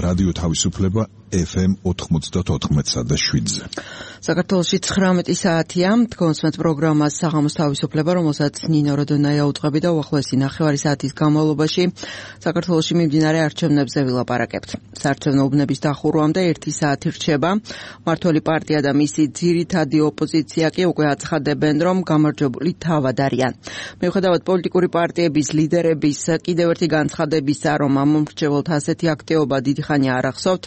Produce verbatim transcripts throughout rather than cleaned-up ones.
რადიო თავისუფლება ეფ ემ ოთხმოცდაოთხ და შვიდზე. საქართველოში ცხრამეტი საათია, თქვენს პროგრამას საღამოს თავისუფლება, რომელსაც ნინო როდონაია უწყები და უახლოესი ნახევარი საათის განმავლობაში საქართველოში მიმდინარე არჩევნებზე ვილაპარაკებთ. საარჩევნო უბნების დახურვამდე ერთი საათი რჩება. მმართველი პარტია და მისი ძირითადი ოპოზიცია კი უკვე აცხადებენ, რომ გამარჯვებული თავად არიან. მიუხედავად პოლიტიკური პარტიების ლიდერების კიდევ ერთი განცხადებისა, რომ ამ მომრჩეველთა ასეთი აქტივობა დიდი ხანია არ ახსოვთ,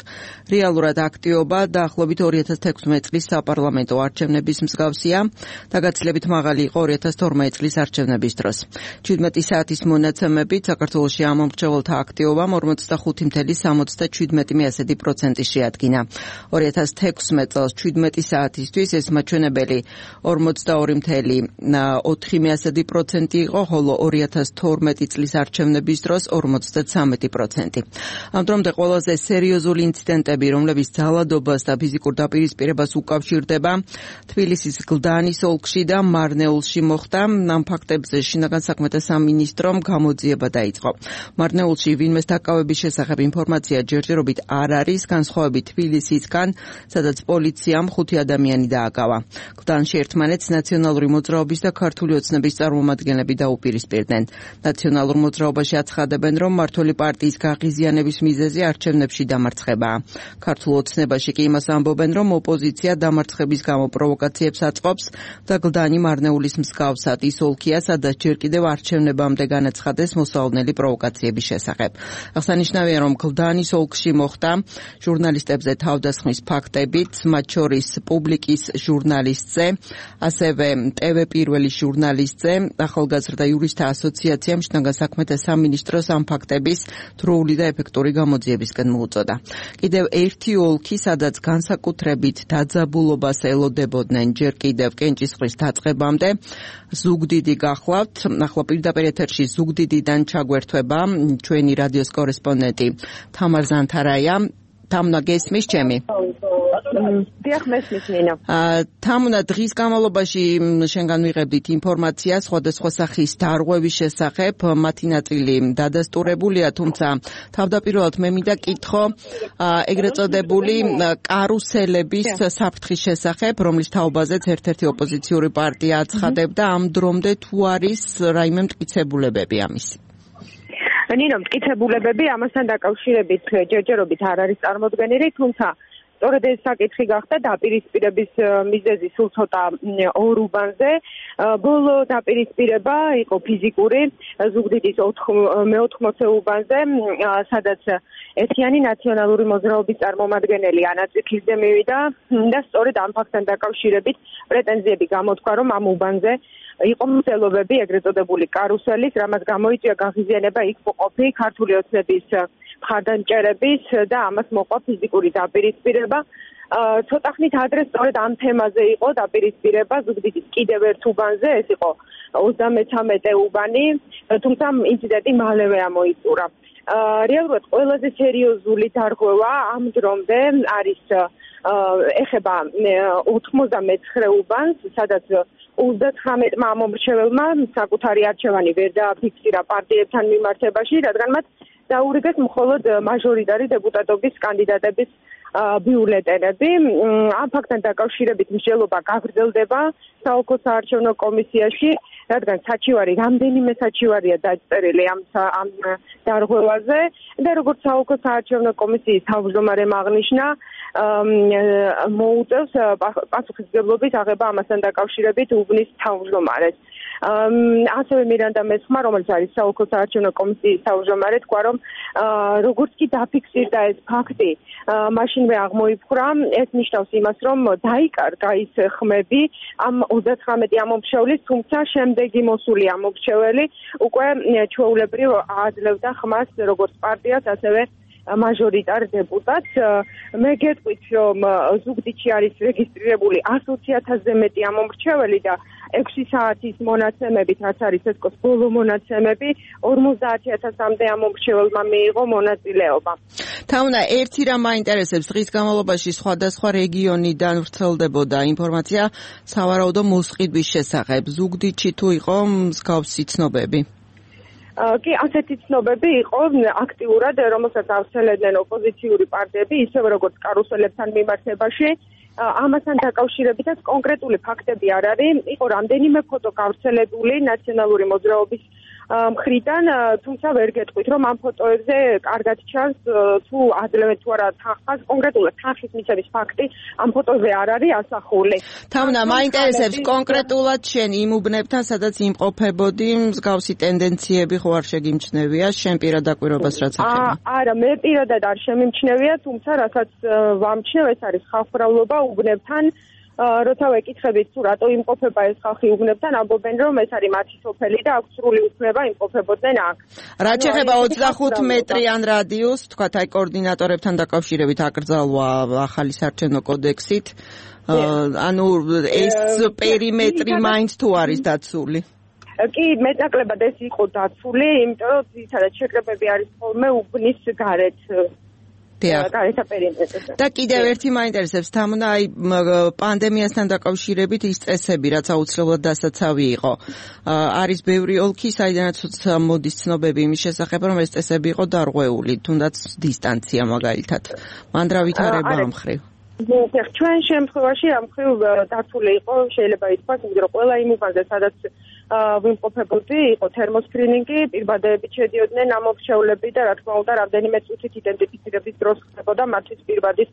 რეალურად აქტივობა დაახლოებით ორი ათას თექვსმეტი წლის საპარლამენტო არჩევნების მსგავსია და გაცილებით მაღალი იყო ორი ათას თორმეტი წლის არჩევნების დროს. შვიდმეტი საათის მონაცემებით საქართველოში ამ მომრჩეველთა აქტივობამ ორმოცდახუთი წუთი სამოცდაშვიდმეტი პროცენტი შეადგინა. ორი ათას თექვსმეტი წელს შვიდმეტი საათისთვის ეს მაჩვენებელი ორმოცდაორი ოთხი პროცენტი იყო, ხოლო ორი ათას თორმეტი წლის არჩევნების დროს ორმოცდათვრამეტი პროცენტი. ამ დრომდე ყველაზე სერიოზული ინციდენტები, რომლებიც ძალადობას და ფიზიკურ დაპირისპირებას უკავშირდება, თბილისის გლდანის ოლქში და მარნეულში მოხდა. ამ ფაქტებზე შინაგან საქმეთა სამინისტრომ გამოძიება დაიწყო. მარნეულში ვინმეს დაკავების შესახებ ინფორმაცია ჯერჯერობით არ არის, განსხვავებით თბილისისგან, სადაც პოლიციამ ხუთი ადამიანი დააკავა. გლდანში ერთმანეთს ნაციონალური მოძრაობის და ქართული ოცნების წარმომადგენლები დაუპირისპირდნენ. ნაციონალურ მოძრაობაში აცხადებენ, რომ მმართველი პარტიის გაღიზიანების მიზეზი არჩევნებში დამარცხებაა. ქართულ ოცნებაში კი იმას ამბობენ, რომ ოპოზიცია დამარცხების გამო პროვოკაციებს აწყობს და გლდანი მარნეულის მსგავსად ის ოლქია, სადაც ჯერ კიდევ არჩევნებამდე განაცხადეს მოსალოდნელი პროვოკაციების შესახებ. აღსანიშნავია, რომ გლდანის ოლქში მოხდა ჟურნალისტებზე თავდასხმის ფაქტებით, მათ შორის პუბლიკის ჟურნალისტზე, ასევე ტევ პირველის ჟურნალისტზე. ახალგაზრდა იურისტთა ასოციაციამ შინაგან საქმეთა სამინისტროს ამ ფაქტების დროული და ეფექტური გამოძიებისკენ მოუწოდა. კიდევ ერთი ოლქი, სადაც განსაკუთრებით დაძაბულობას ელოდებოდნენ ჯერ კიდევ კენჭისყრის დაწყებამდე, ზუგდიდი გახლავთ. ახლა პირდაპირ ეთერში ზუგდიდიდან ჩაგვერთვება ჩვენი რადიოს კორესპონდენტი თამარ ზანთარაია. თამნა, გესმის ჩემი? დიახ, მესმის ნინო. თამნა, დღის განმავლობაში შენგან ვიღებდით ინფორმაციას სხვადასხვა სახის დარღვევის შესახებ, მათი ნაწილი დადასტურებულია, თუმცა თავდაპირველად მე მინდა კითხო ეგრეთ წოდებული კარუსელების საფრთხის შესახებ, რომლის თაობაზეც ერთ-ერთი ოპოზიციური პარტია აცხადებდა, ამ დრომდე თუ არის რაიმე მტკიცებულებები ამის? ნინო, მტკიცებულებები ამასთან დაკავშირებით ჯერჯერობით არ არის წარმოდგენილი, თუმცა სწორედ ეს საკითხი გახდა დაპირისპირების მიზეზი სულ ცოტა ორ უბანზე. ბოლო დაპირისპირება იყო ფიზიკური ზუგდიდის მეოთხმოცე უბანზე, სადაც ერთიანი ნაციონალური მოძრაობის წარმომადგენელი ანაწიფლისძე მივიდა და სწორედ ამ ფაქტთან დაკავშირებით პრეტენზიები გამოთქვა, რომ ამ უბანზე იყო მცდელობები ეგრეთ წოდებული კარუსელის, რამაც გამოიწვია გაღიზიანება იქ მოყოფი ქართული ოცნების მხარდამჭერების და ამას მოყვა ფიზიკური დაპირისპირება. ცოტა ხნით ადრე სწორედ ამ თემაზე იყო დაპირისპირება ზუგდიდის კიდევ ერთ უბანზე, ეს იყო ოცდამეთერთმეტე უბანი, თუმცა ინციდენტი მალევე ამოიწურა. რეალურად ყველაზე სერიოზული დარღვევა ამ დრომდე არის ეხება ოცდამეცხრე უბანს, სადაც ოცდათვრამეტმა მომრჩეველმა საკუთარი არჩევანი ვერ დააფიქსირა პარტიებთან მიმართებაში, რადგან მათ დაურიგეს მხოლოდ მაჟორიტარი დეპუტატობის კანდიდატების ბიულეტენები. ამ ფაქტთან დაკავშირებით მსჯელობა გაგრძელდება საოლქო საარჩევნო კომისიაში, რადგან საჩივარი, რამდენიმე საჩივარია დაწერილი ამ ამ დარღვევაზე და როგორც საოლქო საარჩევნო კომისიის თავმჯდომარემ აღნიშნა, მოუწევს პასუხისმგებლობის აღება ამასთან დაკავშირებით უბნის თავმჯდომარეს. ასევე მირანდა მესხმა, რომელიც არის საოლქო საარჩევნო კომისიის თავმჯდომარე, თქვა, რომ როგორც კი დაფიქსირდა ეს ფაქტი, მაშინვე აღმოიფხვრა, ეს ნიშნავს იმას, რომ დაიკარგა ის ხმები ამ ოცდათვრამეტი ამომრჩევლის, თუმცა შემდეგი მოსული ამომრჩეველი უკვე ჩვეულებრივ აძლევდა ხმას როგორც პარტიას, ასევე მაჟორიტარ დეპუტატს. მე გეტყვით, რომ ზუგდიდში არის რეგისტრირებული ასი ათასზე მეტი ამომრჩეველი და ექვსი საათის მონაცემებით, რაც არის ცესკოს ბოლო მონაცემები, ორმოცდაათი ათასამდე ამომრჩეველმა მიიღო მონაწილეობა. თამნა, ერთი რამ მაინტერესებს, დღის განმავლობაში სხვადასხვა რეგიონიდან ვრცელდებოდა ინფორმაცია სავარაუდო მოსყიდვის შესახებ. ზუგდიდში თუ იყო მსგავსი ცნობები? კი ასეთი ცნობები იყო აქტიურად, რომელსაც ავრცელებდნენ ოპოზიციური პარტიები, ისევე როგორც კარუსელებთან მიმართებაში. ამასთან დაკავშირებითაც კონკრეტული ფაქტები არ არის. იყო რამდენიმე ფოტო გავრცელებული ნაციონალური მოძრაობის მხრიდან, თუმცა ვერ გეტყვით, რომ ამ ფოტოებზე კარგად ჩანს თუ აძლევენ თუ არა თანხას, კონკრეტულად თანხის მიცემის ფაქტი ამ ფოტოზე არ არის ასახული. თამნა, მაინტერესებს კონკრეტულად შენ იმ უბნებთან, სადაც იმყოფებოდი, მსგავსი ტენდენციები ხო არ შეგიმჩნევია, შენ პირად დაკვირვებას რაც ახლა? არა, მე პირადად არ შემიმჩნევია, თუმცა რასაც ვამჩნევ, ეს არის ხალხმრავლობა უბნებთან. როცა ვეკითხებით თუ რატო იმყოფება ეს ხალხი უბნებთან, ამბობენ რომ ეს არის მათი სოფელი და აქვს სრული უფლება იმყოფებოდნენ აქ. რაც შეეხება ოცდახუთ მეტრიან რადიუსს, თქვათ აი კოორდინატორებთან დაკავშირებით აკრძალვა ახალი საარჩევნო კოდექსით. ანუ ეს პერიმეტრი მაინც თუ არის დაცული? კი, მეტნაკლებად ეს იყო დაცული, იმიტომ რომ ძირითადად შეკრებები არის ხოლმე უბნის გარეთ. და კიდევ ერთი მაინტერესებს თამნა აი პანდემიასთან დაკავშირებით ის წესები რაც აუცილებლად დასაცავი იყო არის ბევრი ოლქი საიდანაც მოდის ცნობები იმის შესახებ რომ ეს წესები იყო დარღვეული თუნდაც დისტანცია მაგალითად მან რა ვითარება ამ მხრივ ჩვენ შემთხვევაში ამ მხრივ დაცული იყო შეიძლება ითქვას იმიტომ რომ ყველა იმ უბანზე სადაც ვიმყოფებოდი, იყო თერმოსკრინინგი, პირბადეებით შედიოდნენ ამ მრჩევლები და რა თქმა უნდა, რამდენიმე წუთით იდენტიფიცირების დროს ხდებოდა მათთვის პირბადის,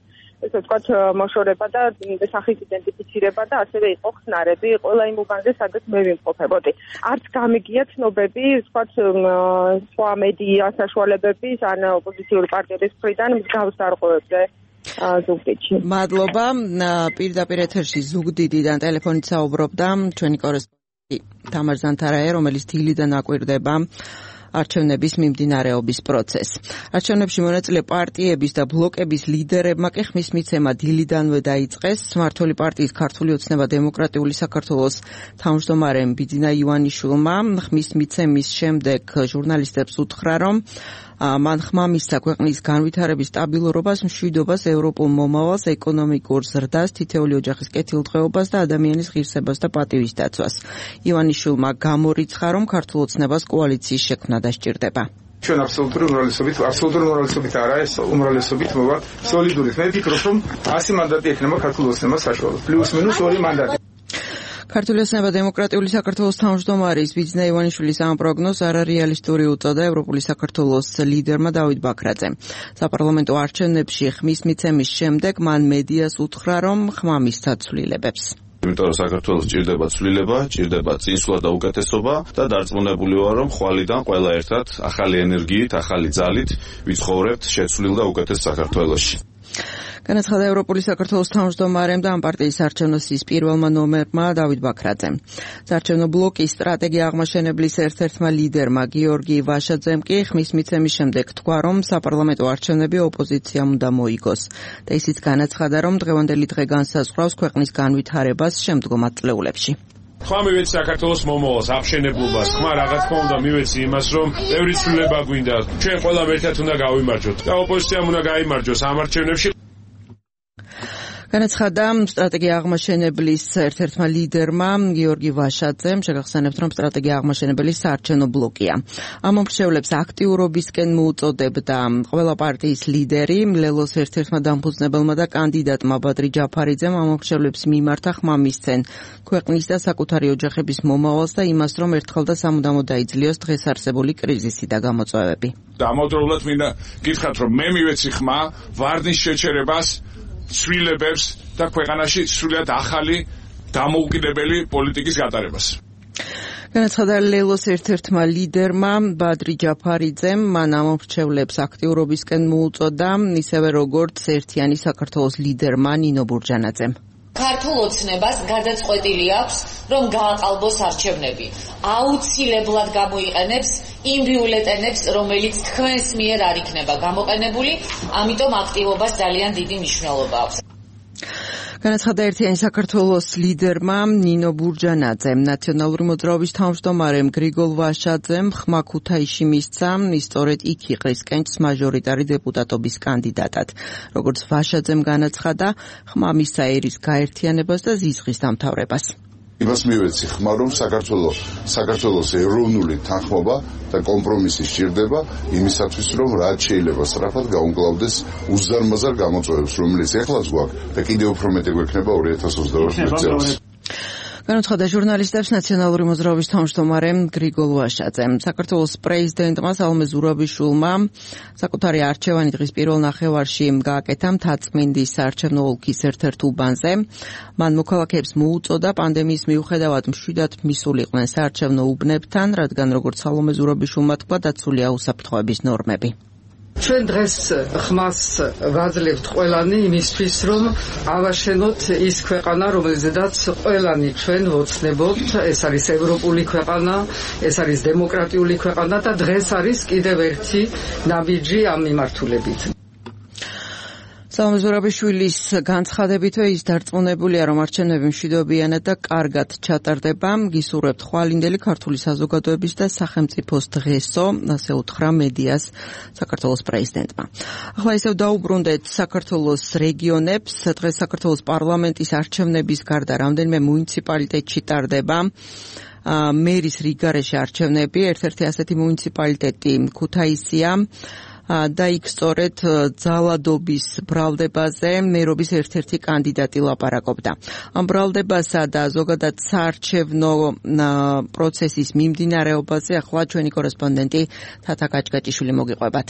ესე ვთქვათ, მოშორება და სახის იდენტიფიცირება და ასევე იყო ხსნარები, ყველა იმ უბანზე, სადაც მე ვიმყოფებოდი. არც გამიგია ცნობები, ვთქვათ, სხვა მედია საშუალებების ან ოპოზიციური პარტიების მხრიდან მსგავს დარღვევებზე. ზუგდიდში. მადლობა. პირდაპირ ეთერში ზუგდიდიდან ტელეფონით საუბრობდა ჩვენი კორესპონდენტი თამარ ზანთარაია, რომელიც დილიდან აკვირდება არჩევნების მიმდინარეობის პროცესს. არჩევნებში მონაწილე პარტიების და ბლოკების ლიდერებმა კი ხმის მიცემა დილიდანვე დაიწყეს. მმართველი პარტიის ქართული ოცნება დემოკრატიული საქართველოს თავმჯდომარემ ბიძინა ივანიშვილმა ხმის მიცემის შემდეგ ჟურნალისტებს უთხრა, რომ მან ხმა მისცა ქვეყნის განვითარების სტაბილურობას, მშვიდობას, ევროპულ მომავალს, ეკონომიკურ ზრდას, თითეული ოჯახის კეთილდღეობას და ადამიანის ღირსებას და პატივის დაცვას. ივანიშვილმა გამორიცხა, რომ ქართულ ოცნებას კოალიციის შექმნა დასჭირდება. ჩვენ აბსოლუტური უმრავლესობით, აბსოლუტური უმრავლესობით არა, ეს უმრავლესობით მოვა სოლიდურით. მე ვფიქრობ, რომ ასი მანდატი ექნება ქართულ ოცნებას საშუალოდ. პლუს მინუს ორი მანდატი. ქართული ოცნება დემოკრატიული საქართველოს თავმჯდომარის ბიძინა ივანიშვილის ამ პროგნოზს არარეალისტური უწოდა ევროპული საქართველოს ლიდერმა დავით ბაქრაძემ. საპარლამენტო არჩევნებში ხმის მიცემის შემდეგ მან მედიას უთხრა, რომ ხმა მისცა ცვლილებებს. იმიტომ რომ საქართველოს ჭირდება ცვლილება, ჭირდება წინსვლა და უკეთესობა და დარწმუნებული ვარ, რომ ხვალიდან ყველა ერთად ახალი ენერგიით, ახალი ძალით ვიცხოვრებთ შეცვლილ და უკეთეს საქართველოში. განაცხადა ევროპული საქართველოს თავმჯდომარემ და ამ პარტიის საარჩევნო სიის პირველმა ნომერმა დავით ბაქრაძემ. საარჩევნო ბლოკის სტრატეგია აღმაშენებლის ერთ-ერთმა ლიდერმა გიორგი ვაშაძემ კი ხმის მიცემის შემდეგ თქვა, რომ საპარლამენტო არჩევნები ოპოზიციამ უნდა მოიგოს. და ისიც განაცხადა, რომ დღევანდელი დღე განსაზღვრავს ქვეყნის განვითარებას შემდგომ ათწლეულებში. ხმა მივეცი საქართველოს მომავალს, აღშენებლობას, ხმა რა თქმა უნდა მივეცი იმას, რომ ბევრი ცვლილება გვინდა. ჩვენ ყველამ ერთად უნდა გავიმარჯვოთ და ოპოზიციამ უნდა გაიმარჯვოს ამ არჩევნებში. განაცხადა სტრატეგია აღმაშენებლის ერთ-ერთმა ლიდერმა გიორგი ვაშაძემ, შეგახსენებთ, რომ სტრატეგია აღმაშენებელი საარჩევნო ბლოკია. ამ მომრჩევლებს აქტიურობისკენ მოუწოდებდა ყველა პარტიის ლიდერი, ლელოს ერთ-ერთმა დამფუძნებელმა და კანდიდატმა ბადრი ჯაფარიძემ ამ მომრჩევლებს მიმართა ხმა მისცენ ქვეყნის და საკუთარი ოჯახების მომავალს და იმას, რომ ერთხელ და სამუდამოდ დაიძლიოს დღეს არსებული კრიზისი და გამოწვევები. დამოუკიდებლად მინდა გითხრათ, რომ მე მივეცი ხმა ვარდნის შეჩერებას, ცვლილებებს და ქვეყანაში სრულიად ახალი დამოუკიდებელი პოლიტიკის გატარებას. განაცხადა ლელოს ერთ-ერთმა ლიდერმა ბადრი ჯაფარიძემ, მან ამ მომრჩევლებს აქტიურობისკენ მოუწოდა, ისევე როგორც ერთიანი საქართველოს ლიდერმა ნინო ბურჯანაძემ. ქართულ ოცნებას გადაწყვეტილი აქვს, რომ გააყალბოს არჩევნები. აუცილებლად გამოიყენებს იმ ბიულეტენებს, რომელიც თქვენს მიერ არ იქნება გამოყენებული, ამიტომ აქტივობას ძალიან დიდი მნიშვნელობა აქვს. განაცხადა ერთიანი საქართველოს ლიდერმა ნინო ბურჯანაძემ. ნაციონალური მოძრაობის თავმჯდომარემ გრიგოლ ვაშაძემ ხმა ქუთაისში მისცა, სწორედ იქ იყრის კენჭს მაჟორიტარი დეპუტატობის კანდიდატად. როგორც ვაშაძემ განაცხადა, ხმა მისცა ერის გაერთიანებას და ზიზღის დამთავრებას. იმას მივეცი ხმა, რომ საქართველოს საქართველოს ეროვნული თანხმობა და კომპრომისი სჭირდება იმისათვის, რომ რაც შეიძლება სწრაფად გაუმკლავდეს უზარმაზარ გამოწვევებს, რომელიც ეხლაც გვაქვს და კიდევ უფრო მეტი გვექნება ორი ათას ოცდაოთხ წელს. განუცხადა ჟურნალისტებს ნაციონალური მოძრაობის თავმჯდომარე გრიგოლ ვაშაძე. საქართველოს პრეზიდენტმა სალომე ზურაბიშვილმა საკუთარი არჩევანი დღის პირველ ნახევარში გააკეთა მთაწმინდის საარჩევნო ოლქის ერთ-ერთ უბანზე. მან მოქალაქეებს მოუწოდა პანდემიის მიუხედავად მშვიდად მისულიყვნენ საარჩევნო უბნებთან, რადგან როგორც სალომე ზურაბიშვილმა თქვა, დაცულია უსაფრთხოების ნორმები. ჩვენ დღეს ხმას ვაძლევთ ყველანი იმისთვის, რომ ავაშენოთ ის ქვეყანა, რომელზედაც ყველანი ჩვენ ვოცნებობთ. ეს არის ევროპული ქვეყანა, ეს არის დემოკრატიული ქვეყანა და დღეს არის კიდევ ერთი ნაბიჯი ამ მიმართულებით. სალომე ზურაბიშვილის განცხადებითვე ის დარწმუნებულია, რომ არჩევნები მშვიდობიანად და კარგად ჩატარდება. გისურვებთ ხვალინდელი ქართული საზოგადოების და სახელმწიფოს დღესო, ასე უთხრა მედიას საქართველოს პრეზიდენტმა. ახლა ისევ დაუბრუნდეთ საქართველოს რეგიონებს. დღეს საქართველოს პარლამენტის არჩევნების გარდა რამდენიმე მუნიციპალიტეტში ტარდება მერის რიგარეში არჩევნები. ერთ-ერთი ასეთი მუნიციპალიტეტი ქუთაისია. და იქ სწორედ ძალადობის ბრალდებაზე მერობის ერთ-ერთი კანდიდატი ლაპარაკობდა. ამ ბრალდებასა და ზოგადად საარჩევნო პროცესის მიმდინარეობაზე ახლა ჩვენი კორესპონდენტი თათა კაჭკაჭიშვილი მოგიყვებათ.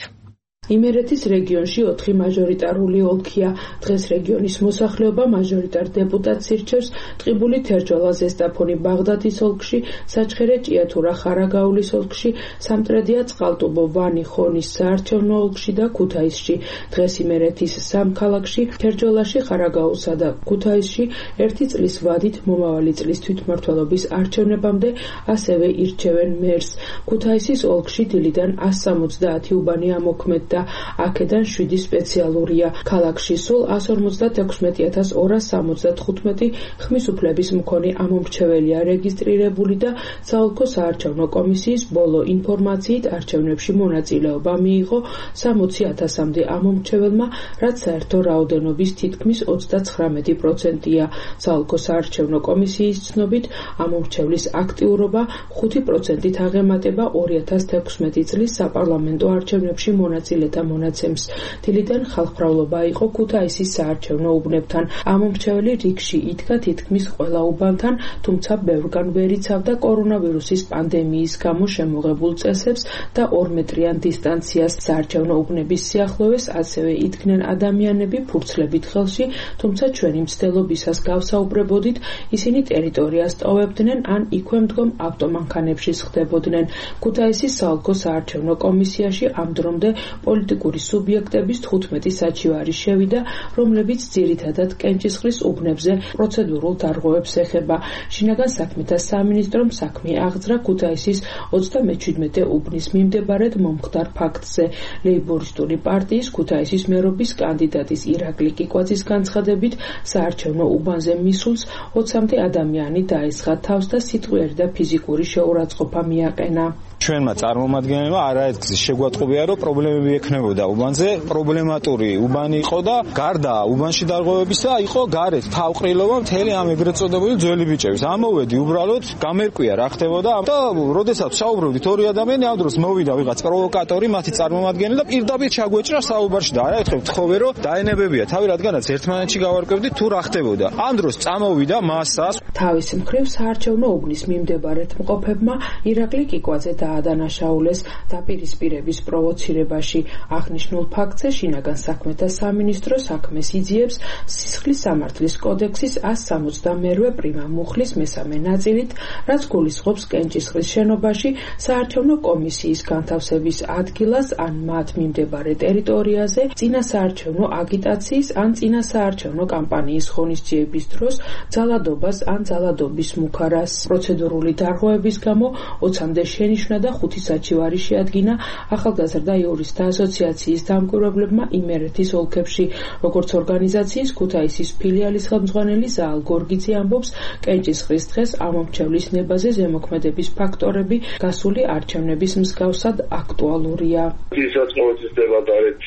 იმერეთის რეგიონში ოთხი მაჟორიტარული ოლქია. დღეს რეგიონის მოსახლეობა მაჟორიტარ დეპუტატს ირჩევს ტყიბული, თერჯოლა, ზესტაფონი, ბაღდადის ოლქში, საჩხერე, ჭიათურა, ხარაგაულის ოლქში, სამტრედია, წყალტუბო, ვანი, ხონის საარჩევნო ოლქში და ქუთაისში. დღეს იმერეთის სამ ქალაქში, თერჯოლაში, ხარაგაულსა და ქუთაისში ერთი წლის ვადით მომავალი წლის თვითმმართველობის არჩევნებამდე ასევე ირჩევენ მერს. ქუთაისის ოლქში დილიდან ას სამოცდაათი უბანი ამოქმედდა. აქედან შვიდი სპეციალურია. ქალაქში სულ ას ორმოცდაექვსმეტი ათას ორას სამოცდათხუთმეტი ხმის უფლების მქონე ამომრჩეველია რეგისტრირებული და საოლქო საარჩევნო კომისიის ბოლო ინფორმაციით არჩევნებში მონაწილეობა მიიღო სამოცი ათასამდე ამომრჩეველმა, რაც საერთო რაოდენობის თითქმის ოცდაცხრამეტი პროცენტია. საოლქო საარჩევნო კომისიის ცნობით ამომრჩევლის აქტიურობა ხუთი პროცენტით აღემატება ორი ათას თექვსმეტი წლის საპარლამენტო არჩევნებში მონაწილე და მონაცემს. დილიდან ხალხმრავლობა იყო ქუთაისის საარჩევნო უბნებთან. ამომრჩეველი რიგში იდგა თითქმის ყველა უბანთან, თუმცა ბევრგან ვერ იცავდა კორონავირუსის პანდემიის გამო შემოღებულ წესებს და ორმეტრიან დისტანციას. საარჩევნო უბნების სიახლოვეს ასევე იდგნენ ადამიანები ფურცლებით ხელში, თუმცა ჩვენი მცდელობისას გავსაუბრებოდით, ისინი ტერიტორიას ტოვებდნენ ან იქვე მდგომ ავტომანქანებში სხდებოდნენ. ქუთაისის საოლქო საარჩევნო კომისიაში ამ დრომდე პოლიტიკური სუბიექტების თხუთმეტი საჩივარი შევიდა, რომლებიც ძირითადად კენჭისყრის უბნებზე პროცედურულ დარღვევებს ეხება. შინაგან საქმეთა სამინისტრომ საქმე აღძრა ქუთაისის ოცდამეჩვიდმეტე უბნის მიმდებარედ მომხდარ ფაქტზე. ლეიბორისტული პარტიის ქუთაისის მერობის კანდიდატის ირაკლი კიკვაძის განცხადებით, საარჩევნო უბანზე მისულს ოცამდე ადამიანი დაესხა თავს და სიტყვიერი და ფიზიკური შეურაცხყოფა მიაყენა. ჩვენმა წარმომადგენლებმა არაერთგზის შეგვატყობია, რომ პრობლემები ექნებოდა უბანზე. პრობლემატური უბანი იყო და გარდა უბანში დარღვევებისა იყო გარეთ თავყრილობა მთელი ამ ეგრეთ წოდებული ძველი ბიჭების. ამოვედი უბრალოდ გამერკვია რა ხდებოდა და როდესაც საუბრობდით ორი ადამიანი, ამ დროს მოვიდა ვიღაც პროვოკატორი, მათი წარმომადგენელი და პირდაპირ ჩაგვეჭრა საუბარში და არაერთხელ ვთხოვე, რომ დაენებებია თავი, რადგანაც ერთმანეთში გავარკვევდით თუ რა ხდებოდა. ამ დროს წამოვიდა მასას. თავის მხრივ საარჩევნო უბნის მიმდებარედ მყოფებმა ირაკლი კიკვაძე დაადანაშაულეს დაპირისპირების პროვოცირებაში. აღნიშნულ ფაქტზე შინაგან საქმეთა სამინისტრო საქმეს იძიებს სისხლის სამართლის კოდექსის ას სამოცდამერვე პრიმა მუხლის მესამე ნაწილით, რაც გულისხმობს კენჭისყრის შენობაში საარჩევნო კომისიის განთავსების ადგილას ან მათ მიმდებარე ტერიტორიაზე წინასაარჩევნო აგიტაციის ან წინასაარჩევნო კამპანიის ღონისძიების დროს ძალადობას ან ძალადობის მუქარას. პროცედურული დარღვევების გამო ოცამდე შენიშვნა მიცხრა და ხუთი საჩივარი შეადგინა ახალგაზრდა იურისტთა ასოციაციის დამკვირვებლებმა იმერეთის ოლქებში. Როგორც ორგანიზაციის ქუთაისის ფილიალის ხელმძღვანელი ზაალ გორგიძე ამბობს, კენჭისყრის დღეს ამომრჩევლის ნებაზე ზემოქმედების ფაქტორები გასული არჩევნების მსგავსად აქტუალურია. ისაც მოიცდება გარეთ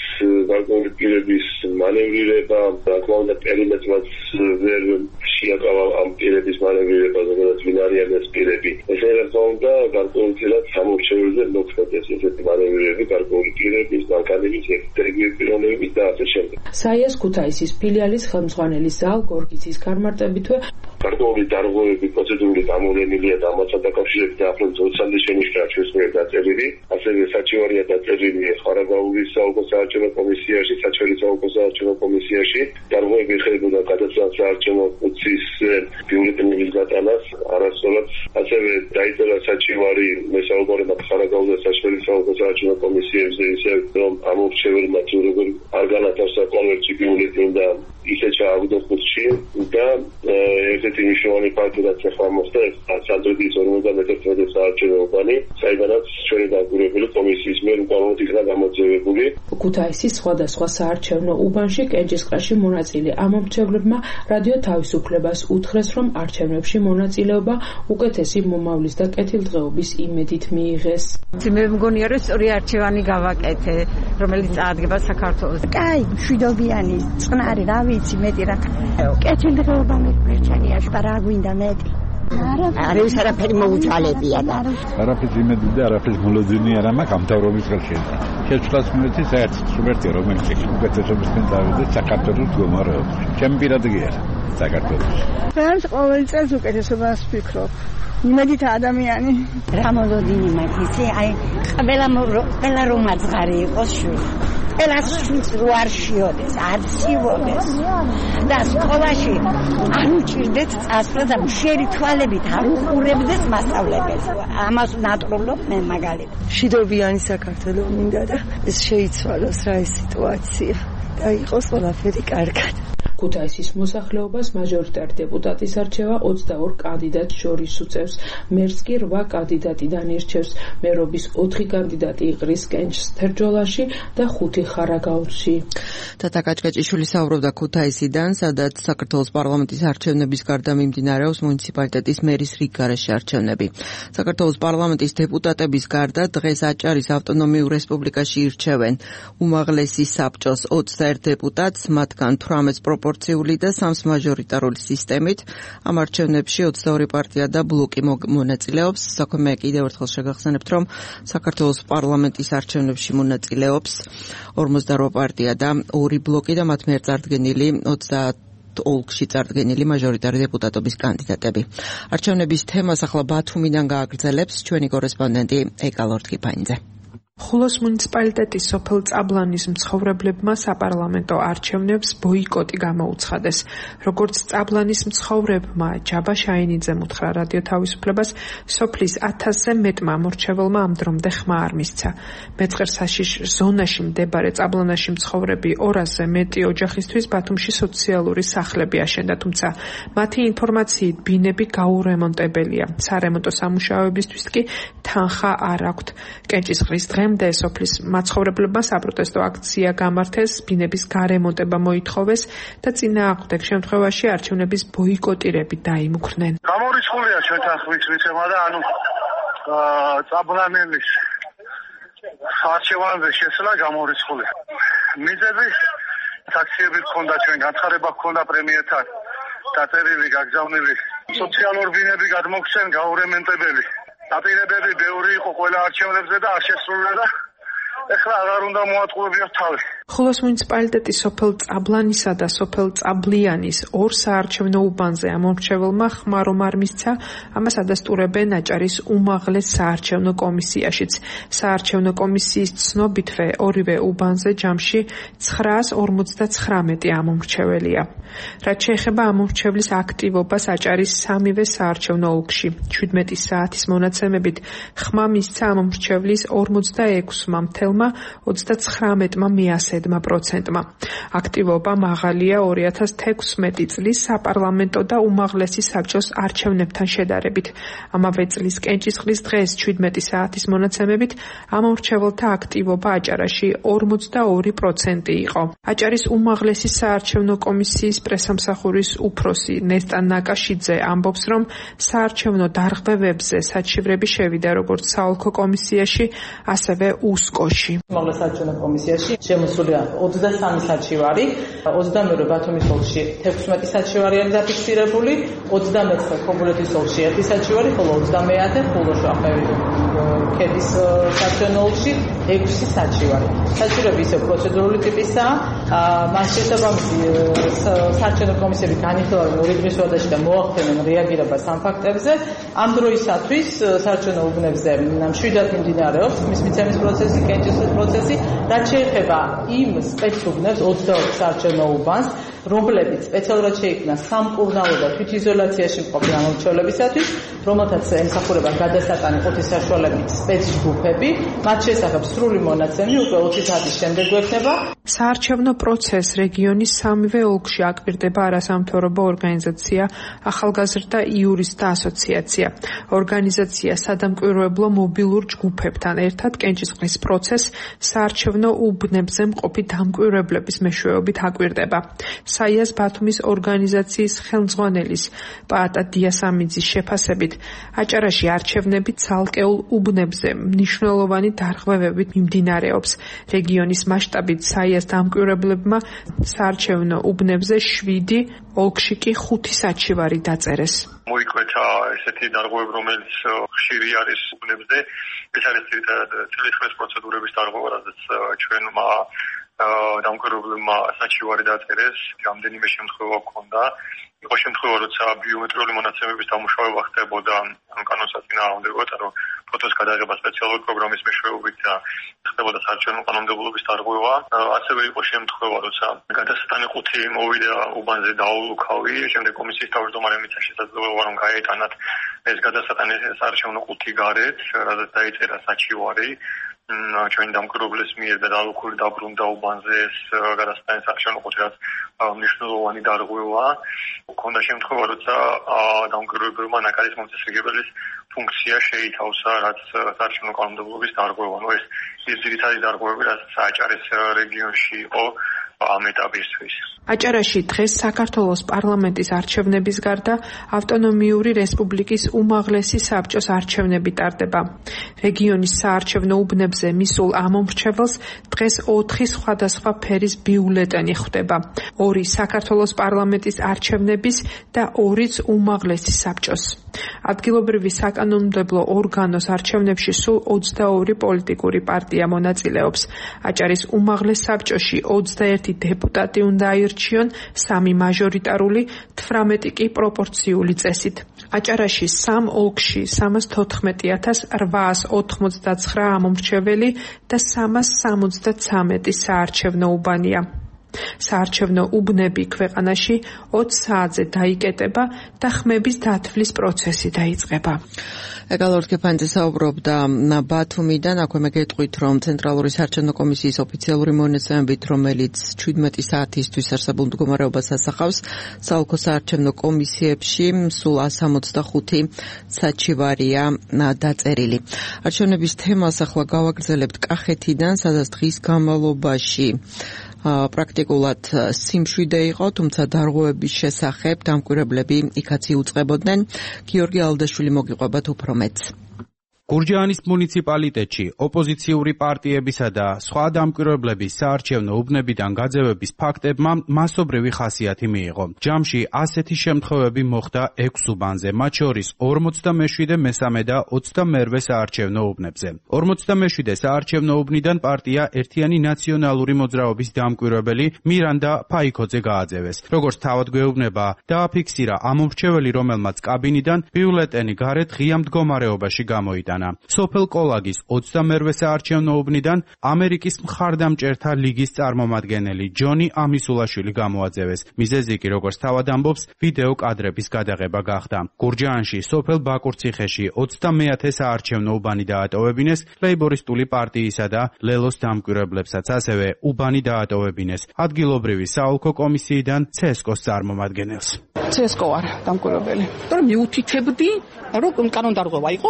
გარკვეული პირების მანევრირება, საკმაოდ პერიმეტრად ვერ შეაკავა ამ პირების მანევრირება, ზოგადად ვინ არიან ეს პირები. ესე რომ და გარკვეულწილად სამორჩეველზე მოქმედებს ესეთი მანევრირები, გარკვეული პირების, ბანკების, ექსტერიგივი პიროვნების და ასე შემდეგ. საიას ქუთაისის ფილიალის ხელმძღვანელი ზაალ გორგიძის განმარტებითვე გარკვეული დარღვევები პროცედურული გამოვლენილია და ამასთან დაკავშირებით ახლოს ოცამდე შენიშნა ჩვენს მიერ დაწერილი, ასევე საჩივარია დაწერილი ხარაგაულის საოლქო საარჩევნო კომისიაში, საჩხერის საოლქო საარჩევნო კომისიაში. დარღვევები ეხებოდა გადაცემას საარჩევნო ყუთის ბიულეტენების გატანას, არასწორად ასევე დაიწერა საჩივარი მესაუბრებად ხარაგაულის და საჩხერის საოლქო საარჩევნო კომისიებზე, ისე რომ ამორჩეველმა თუ როგორ არ განათავსა კონვერტი ბიულეტენი და ისე ჩააგდო ყუთში და ესეთი მნიშვნელოვანი ფაქტი რაც ახლა მოხდა, სანდროდის ორმოცდამეტი საარჩევნო უბანი, საიდანაც ჩვენი დამკვირვებელი კომისიის მიერ უკანონოდ იქნა გამოძევებული. ქუთაისის სხვადასხვა საარჩევნო უბანში კენჭისყრაში მონაწილე ამომრჩევლებმა რადიო თავისუფლებას უთხრეს, რომ არჩევნებში მონაწილეობა უკეთესი მომავლის და კეთილდღეობის იმედით მიიღეს. მე მგონია რომ სწორი არჩევანი გავაკეთე, რომელიც წარადგება საქართველოს. კაი, მშვიდობიანი, წყნარი, რა ვიცი, მეტი რა. კეთილდღეობა მეკრჩენია, რა გვინდა მეტი. არის არაფერი მოუძალებია და არაფერს იმედი და არაფერს მოლოდინი არა მაქვს ამ თავრობის ხელში. შეცვლას მომეცი საერთოდ სუპერტი რომელიც უკეთესობისკენ დავიდეს საქართველოს მდგომარეობა. ჩემი პირადი გია საქართველოს. რაც ყოველ წელს უკეთესობას ვფიქრობ. იმედით ადამიანი რა მოლოდინი მაქვს იცი აი ყველა ყველა რომ აძღარი იყოს შვილ ყველას შვილს რო არ შიოდეს არ ცივოდეს და სკოლაში არ უჭირდეთ წასვლა და მშერი თვალებით არ უყურებდეს მასწავლებელს ამას ნატრულობ მე მაგალითად მშვიდობიანი საქართველო მინდა და ეს შეიცვალოს რა ეს სიტუაცია და იყოს ყველაფერი კარგად. ქუთაისის მოსახლეობას მაჟორიტარი დეპუტატის არჩევა ოცდაორ კანდიდატს შორის უწევს. მერს კი რვა კანდიდატიდან ირჩევს. მერობის ოთხი კანდიდატი იყრის კენჭს თერჯოლაში და ხუთი ხარაგაულში. თათა კაჭკაჭიშვილი საუბრობდა ქუთაისიდან, სადაც საქართველოს პარლამენტის არჩევნების გარდა მიმდინარეობს მუნიციპალიტეტის მერის რიგგარეშე არჩევნები. საქართველოს პარლამენტის დეპუტატების გარდა დღეს აჭარის ავტონომიურ რესპუბლიკაში ირჩევენ უმაღლესი საბჭოს ოცდაერთ დეპუტატს, მათგან თვრამეტს პროპორციული და სამს მაჟორიტარული სისტემით. ამ არჩევნებში ოცდაორი პარტია და ბლოკი მონაწილეობს. საქმე კიდევ ერთხელ შეგახსენებთ, რომ საქართველოს პარლამენტის არჩევნებში მონაწილეობს ორმოცდარვა პარტია და ორი ბლოკი და მათ მიერ წარდგენილი ოცდაათ ოლქში წარდგენილი მაჟორიტარი დეპუტატობის კანდიდატები. არჩევნების თემას ახლა ბათუმიდან გააგრძელებს ჩვენი კორესპონდენტი ეკა ლორთქიფანიძე. ხულოს მუნიციპალიტეტის სოფელ წაბლანის მცხოვრებლებმა საპარლამენტო არჩევნებს ბოიკოტი გამოუცხადეს. როგორც წაბლანის მცხოვრებმა ჯაბა შაინიძემ უთხრა რადიო თავისუფლებას, სოფლის ათასზე მეტმა ამორჩეველმა ამ დრომდე ხმა არ მისცა. მეწყერსაშიშ ზონაში მდებარე წაბლანაში მცხოვრები ორასზე მეტი ოჯახისთვის ბათუმში სოციალური სახლები აშენდა, თუმცა მათი ინფორმაციით ბინები გაურემონტებელია. სარემონტო სამუშაოებისთვის კი თანხა არ აქვთ. კენჭისყრის დღემდე სოფლის მაცხოვრებლებმა საპროტესტო აქცია გამართეს, ბინების გარემონტება მოითხოვეს და წინააღმდეგ შემთხვევაში არჩევნების ბოიკოტირებით დაიმუქრნენ. გამორიცხულია ჩვენთან ხმის მიცემა და ანუ წაბლანელის არჩევანზე შესვლა გამორიცხულია. მიზეზი აქციები ჰქონდა, ჩვენ განცხადება ჰქონდა პრემიერთან დაწერილი, გაგზავნილი. სოციალურ ბინები გადმოგცენ გაურემონტებელი. დაპირებები ბევრი იყო ყველა არჩევნებზე და არ შესრულდა და ეხლა აღარ უნდა მოატყუებიათ თავი. ხულოს მუნიციპალიტეტის სოფელ წაბლანისა და სოფელ წაბლიანის ორ საარჩევნო უბანზე ამორჩეველმა ხმა რომ არ მისცა, ამას ადასტურებენ აჭარის უმაღლეს საარჩევნო კომისიაშიც. საარჩევნო კომისიის ცნობითვე ორივე უბანზე ჯამში ცხრაას ორმოცდაცხრამეტი ამომრჩეველია. რაც შეეხება ამომრჩევლის აქტივობას აჭარის სამივე საარჩევნო ოლქში, შვიდმეტი საათის მონაცემებით ხმა მისცა ამომრჩევლის ორმოცდაექვსმა მთელ მცირეწლოვანმა ოცდათხრამეტმა მეასედმა პროცენტმა. აქტივობა მაღალია ორი ათას თექვსმეტი წლის საპარლამენტო და უმაღლესი საბჭოს არჩევნებთან შედარებით. ამავე წლის კენჭისყრის დღეს შვიდმეტი საათის მონაცემებით ამომრჩეველთა აქტივობა აჭარაში ორმოცდაორი პროცენტი იყო. აჭარის უმაღლესი საარჩევნო კომისიის პრესამსახურის უფროსი ნესტა ნაკაშიძე ამბობს, რომ საარჩევნო დარღვევებზე საჩივრები შევიდა როგორც საოლქო კომისიაში, ასევე უსკოში. უმაღლეს საარჩევნო კომისიაში შემოსულია ოცდასამი საჩივარი, ოცდამეორე ბათუმის ოლქში თექვსმეტი საჩივარი არის დაფიქსირებული, ოცდამეცხრე ქობულეთის ოლქში ერთი საჩივარი, ხოლო ოცდამეათე ხულოშაყევი ქედის საარჩევნო ოლქში ექვსი საჩივარი. საჩივრები ისევ პროცედურული ტიპისაა, მას შესაბამისი საარჩევნო კომისიები განიხილავენ ორი დღის ვადაში და მოახდენენ რეაგირებას ამ ფაქტებზე. ამ დროისათვის საარჩევნო უბნებზე მშვიდად მიმდინარეობს მის მიცემის პროცესი, კენჭისყრის პროცესი, რაც შეეხება იმ სპეცუბნებს ოცდაოთხ საარჩევნო უბანს, რომლებიც სპეციალურად შეიქმნა სამკურნალო და თვითიზოლაციაში მყოფი ამომრჩევლებისათვის, რომელთაც ემსახურება გადასატანი ყუთის საშუალებით სპეცჯგუფები, მათ შესახებ სრული მონაცემი უკვე ოცი საათის შემდეგ გვექნება. საარჩევნო პროცესს რეგიონის სამივე ოლქში აკპირდება არასამთავრობო ორგანიზაცია ახალგაზრდა იურისტთა ასოციაცია. ორგანიზაცია სადამკვირვებლო მობილურ ჯგუფებთან ერთად კენჭისყრის პროცესს საარჩევნო უბნებზე მყოფი დამკვირვებლების მეშვეობით აკპირდება. საიას ბათუმის ორგანიზაციის ხელმძღვანელის პაატა დიასამიძის შეფასებით, აჭარაში არჩევნები ცალკეულ უბნებზე მნიშვნელოვანი დარღვევებით მიმდინარეობს. რეგიონის მასშტაბით საიას დამკვირვებლებმა საარჩევნო უბნებზე შვიდი, ოლქში კი ხუთი საჩივარი დაწერეს. მოიკვეთა ესეთი დარღვევები, რომელიც ხშირი არის უბნებზე. ეს არის წლითხვეს პროცედურების დარღვევა, რადგან ჩვენმა დამკვირვებლებმა საჩივარი დაწერეს, რამდენიმე შემთხვევა ჰქონდა. იყო შემთხვევა, როცა ბიომეტრიული მონაცემების დამუშავება ხდებოდა ამ კანონსაწინააღმდეგოდ, რომ ფოტოს გადაღება სპეციალური პროგრამის მეშვეობით და ხდებოდა საარჩევნო კანონმდებლობის დარღვევა. ასევე იყო შემთხვევა, როცა გადასატანი ყუთი მოვიდა უბანზე დაულუქავი, შემდეგ კომისიის თავმჯდომარემ მისცა შესაძლებლობა, რომ გაეტანათ ეს გადასატანი საარჩევნო ყუთი გარეთ, რადგან დაიწერა საჩივარი. ჩვენ დამკვირვებლის მიერ და დალუქული დაბრუნდა უბანზე ეს გადასტანის საარჩევნო ყუთი, რაც მნიშვნელოვანი დარღვევა. ქონდა შემთხვევა, როცა დამკვირვებლებმა ნაკადის მომწესრიგებელის ფუნქცია შეითავსა, რაც საარჩევნო კანონმდებლობის დარღვევა. ნუ ეს ის ძირითადი დარღვევები, რაც აჭარის რეგიონში იყო ამ ეტაპისთვის. აჭარაში დღეს საქართველოს პარლამენტის არჩევნების გარდა ავტონომიური რესპუბლიკის უმაღლესი საბჭოს არჩევნები ტარდება. რეგიონის საარჩევნო უბნებზე მისულ ამომრჩეველს დღეს ოთხი სხვადასხვა ფერის ბიულეტენი ხვდება. ორი საქართველოს პარლამენტის არჩევნების და ორიც უმაღლესი საბჭოს. ადგილობრივი საკანონმდებლო ორგანოს არჩევნებში სულ ოცდაორი პოლიტიკური პარტია მონაწილეობს. აჭარის უმაღლეს საბჭოში ოცდაერთი დეპუტატი უნდა აირჩიონ, სამი მაჟორიტარული, თვრამეტი კი პროპორციული წესით. აჭარაში სამ ოლქში სამას თოთხმეტი ათას რვაას ოთხმოცდაცხრა ამომრჩეველი და სამას სამოცდაცამეტი საარჩევნო უბანია. საარჩევნო უბნები ქვეყანაში ოცი საათზე დაიკეტება და ხმების დათვლის პროცესი დაიწყება. ეგალორ კეფანძე საუბრობდა ბათუმიდან, აქვე მეგეთყვით, რომ ცენტრალური საარჩევნო კომისიის ოფიციალური მონაცემებით, რომელიც შვიდმეტი საათისთვის არსებულ მდგომარეობას ასახავს, საოლქო საარჩევნო კომისიებში სულ ასს ოცდახუთი საჩივარია დაწერილი. არჩევნების თემას ახლა გავაგრძელებთ კახეთიდან, სადაც დღის განმავლობაში პრაქტიკულად სიმშვიდე იყო, თუმცა დარღვევების შესახებ დამკვირვებლები იქაც იუწყებოდნენ. გიორგი ალდაშვილი მოგიყვებათ უფრო მეტს. გურჯაანის მუნიციპალიტეტში ოპოზიციური პარტიებისა და სხვა დამკვირვებლების საარჩევნო უბნებიდან გაძევების ფაქტებმა მასობრივი ხასიათი მიიღო. ჯამში ასეთი შემთხვევები მოხდა ექვს უბანზე, მათ შორის ორმოცდამეშვიდე მესამე და ოცდამერვე საარჩევნო უბნებზე. ორმოცდამეშვიდე საარჩევნო უბნიდან პარტია ერთიანი ნაციონალური მოძრაობის დამკვირვებელი მირანდა ფაიქოძე გააძევეს. როგორც თავად გვეუბნება, დააფიქსირა ამომრჩეველი, რომელმაც კაბინიდან ბიულეტენი გარეთ ღია მდგომარეობაში გამოიტანა. გაიტანა. სოფელ კოლაგის ოცდამერვე საარჩევნო უბნიდან ამერიკის მხარდამჭერთა ლიგის წარმომადგენელი ჯონი ამისულაშვილი გამოაძევეს. მიზეზი კი, როგორც თავად ამბობს, ვიდეო კადრების გადაღება გახდა. გურჯაანში, სოფელ ბაკურციხეში ოცდამეათე საარჩევნო უბანი დაატოვებინეს ლეიბორისტული პარტიისა და ლელოს დამკვირვებლებსაც, ასევე უბანი დაატოვებინეს ადგილობრივი საოლქო კომისიიდან ცესკოს წარმომადგენელს. ცესკო არ დამკვირვებელი. თორემ მიუთითებდი, რომ კანონდარღვევა იყო,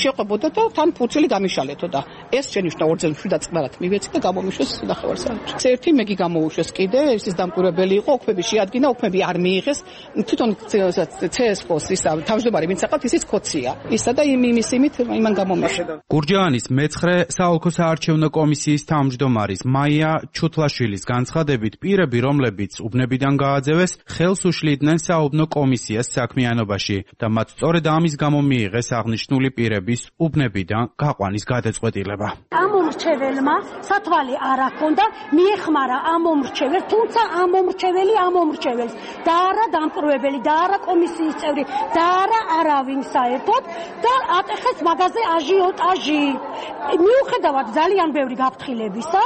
შეყვებოდა და თან ფურცელი გამიშალეთო და ეს შენიშნა ორ წელს შვიდ წელად მივეცი და გამომიშვეს ნახევარსაათში. ერთი მეგი გამოუშვეს კიდე, ის დამკვირვებელი იყო, ოქმები შეადგინა, ოქმები არ მიიღეს. თვითონ ცესკოს ის თავმჯდომარე ვინც აყავთ, ისიც კოცია. ისა და იმ იმის იმით იმან გამომიშვა. გურჯაანის მეცხრე საოლქო საარჩევნო კომისიის თავმჯდომარის მაია ჩუთლაშვილის განცხადებით, პირები, რომლებიც უბნებიდან გააძევეს, ხელს უშლიდნენ საუბნო კომისიას საქმიანობაში და მათ სწორედ ამის გამო მიიღეს აღნიშნული პირების უბნებიდან გაყვანის გადაწყვეტილება. ამ მომრჩეველმა სათვალე არ აქონდა, მიეხმარა ამ მომრჩეველს, თუმცა ამ მომრჩეველი ამ მომრჩეველს და არა დამკვირვებელი და არა კომისიის წევრი და არა არავინ საერთოდ და ატეხეს მაგაზე აჟიოტაჟი. მიუხედავად ძალიან ბევრი გაფრთხილებისა,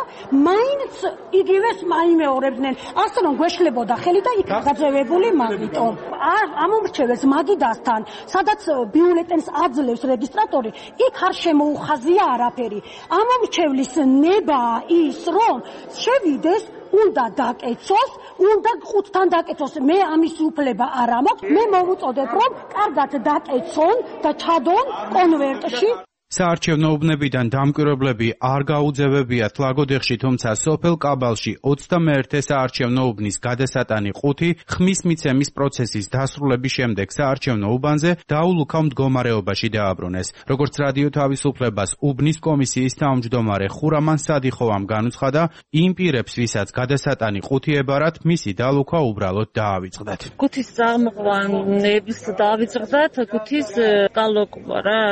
მაინც იგივეს მაიმეორებდნენ, ასე რომ გვეშლებოდა ხელი და იქ გაძევებული მაგიტომ. ამ მომრჩეველს მაგიდასთან, სადაც ბიულეტენს აძლევს რეგისტრატორი, იქ არ შემოუხაზია არაფერი. ამ მომრჩევლის ნება ის, რომ შევიდეს უნდა დაკეცოს, უნდა ხუთთან დაკეცოს. მე ამის უფლება არ ამაქვს. მე მოვუწოდებ, რომ კარგად დაკეცონ და ჩადონ კონვერტში. საარჩევნო უბნებიდან დამკვირვებლები არ გაუძევებიათ ლაგოდეხში, თუმცა სოფელ კაბალში ოცდამეერთე საარჩევნო უბნის გადასატანი ყუთი ხმის მიცემის პროცესის დასრულების შემდეგ საარჩევნო უბანზე დაულუქავ მდგომარეობაში დააბრუნეს. როგორც რადიო თავისუფლებას უბნის კომისიის თავმჯდომარე ხურამან სადიხოვამ განუცხადა, იმ პირებს, ვისაც გადასატანი ყუთი ებარათ, მისი დალუქვა უბრალოდ დაავიწყდათ. ყუთის წამყვანებს დაავიწყდათ, ყუთის დალუქვა რა.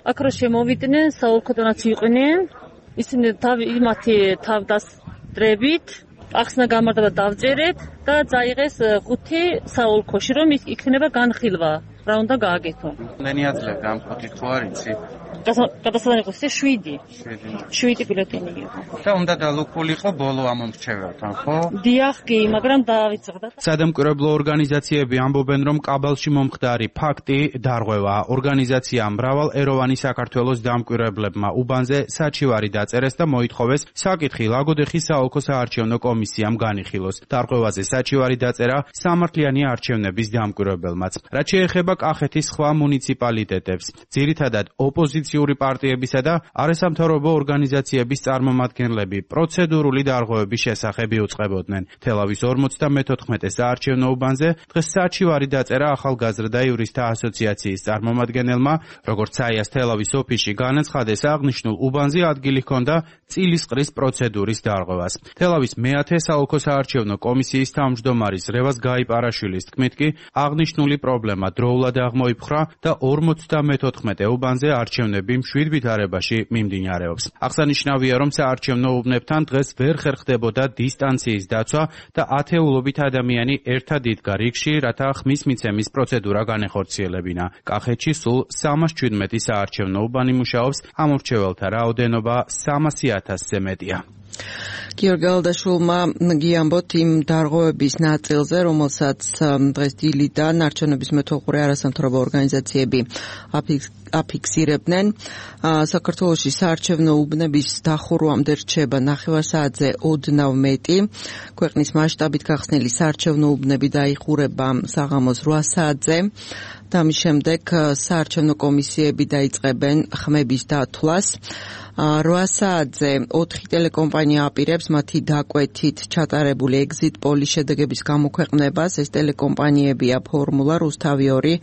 აქ რო შემოვიდნენ, საოლქოდანაც იყვნენ, ისინი თავი იმათი თავდასწრებით, ახსნა გამარჯვება დავწერეთ და წაიღეს ხუთი საოლქოში, რომ იქნება განხილვა, რა უნდა გააკეთო. მენი აძლევდა ამ ხუთი ხო არ იცი? გადასატანი იყო შვიდი. შვიდი ბილეტენი იყო. და უნდა დალუქულიყო ბოლო ამ მომრჩეველთან, ხო? დიახ, კი, მაგრამ დაავიწყდა. სადამკვირვებლო ორგანიზაციები ამბობენ, რომ კაბალში მომხდარი ფაქტი დარღვევაა. ორგანიზაცია მრავალ ეროვანი საქართველოს დამკვირვებლებმა უბანზე საჩივარი დაწერეს და მოითხოვეს საკითხი ლაგოდეხის საოლქო საარჩევნო კომისიამ განიხილოს. დარღვევაზე საჩივარი დაწერა სამართლიანი არჩევნების დამკვირვებელმაც. რაც შეეხება კახეთის სხვა მუნიციპალიტეტებს, ძირითადად ოპოზიციური პარტიებისა და არასამთავრობო ორგანიზაციების წარმომადგენლები პროცედურული დარღვევების შესახებ იუწყებოდნენ. თელავის ორმოცდამეთოთხმეტე საარჩევნო უბანზე დღეს საჩივარი დაწერა ახალგაზრდა იურისტთა ასოციაციის წარმომადგენელმა, როგორც საიას თელავის ოფისში განაცხადეს, აღნიშნულ უბანზე ადგილი ჰქონდა წილისყრის პროცედურის დარღვევას. თელავის მეათე საოლქო საარჩევნო კომისიის თავმჯდომარის რევაზ გაიპარაშვილის თქმით კი, აღნიშნული პრობლემა დროულად აღმოიფხვრა და ორმოცდამეთოთხმეტე უბანზე არჩევნები მშვიდ ვითარებაში მიმდინარეობს. აღსანიშნავია, რომ საარჩევნო უბნებთან დღეს ვერ ხერხდებოდა დისტანციის დაცვა და ათეულობით ადამიანი ერთად იდგა რიგში, რათა ხმის მიცემის პროცედურა განეხორციელებინა. კახეთში სულ სამას შვიდმეტი საარჩევნო უბანი მუშაობს, ამორჩეველთა რაოდენობა სამასი ათასზე მეტია. გიორგი გალადაშვილმა გიამბოთ იმ დარღვევების ნაწილზე, რომელსაც დღეს დილიდან არჩევნების მეთვალყურე არასამთავრობო ორგანიზაციები აფიქსირებდნენ. საქართველოში საარჩევნო უბნების დახურვამდე რჩება ნახევარსაათზე ოდნავ მეტი. ქვეყნის მასშტაბით გახსნილი საარჩევნო უბნები დაიხურება საღამოს რვა საათზე. და ამის შემდეგ საარჩევნო კომისიები დაიწყებენ ხმების დათვლას. რვა საათზე ოთხი ტელეკომპანია აპირებს მათი დაკვეთით ჩატარებული ეგზიტ პოლის შედეგების გამოქვეყნებას. ეს ტელეკომპანიებია ფორმულა, რუსთავი ორი,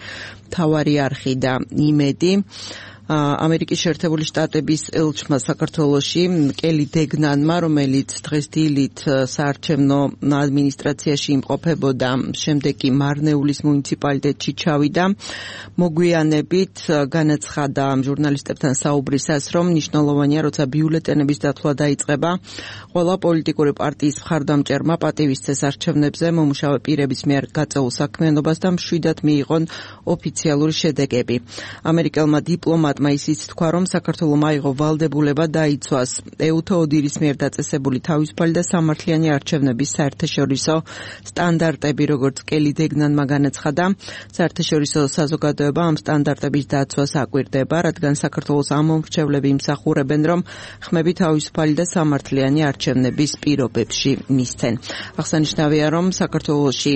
მთავარი არხი და იმედი. ამერიკის შეერთებული შტატების ელჩმა საქართველოში კელი დეგნანმა, რომელიც დღეს დილით საარჩევნო ადმინისტრაციაში იმყოფებოდა, შემდეგ კი მარნეულის მუნიციპალიტეტში ჩავიდა, მოგვიანებით განაცხადა ჟურნალისტებთან საუბრისას, რომ მნიშვნელოვანია, როცა ბიულეტენების დათვლა დაიწყება, ყველა პოლიტიკური პარტიის მხარდამჭერმა პატივისცეს არჩევნებზე მომუშავე პირების მიერ გაწეულ საქმიანობას და მშვიდად მიიღონ ოფიციალური შედეგები. ამერიკელმა დიპლომატ დიპლომატმა ისიც თქვა, რომ საქართველომ აიღო ვალდებულება დაიცვას ეუთო ოდირის მიერ დაწესებული თავისუფალი და სამართლიანი არჩევნების საერთაშორისო სტანდარტები, როგორც კელი დეგნანმა განაცხადა. საერთაშორისო საზოგადოება ამ სტანდარტების დაცვას აკვირდება, რადგან საქართველოს ამომრჩევლები იმსახურებენ, რომ ხმები თავისუფალი და სამართლიანი არჩევნების პირობებში მისცენ. აღსანიშნავია, რომ საქართველოში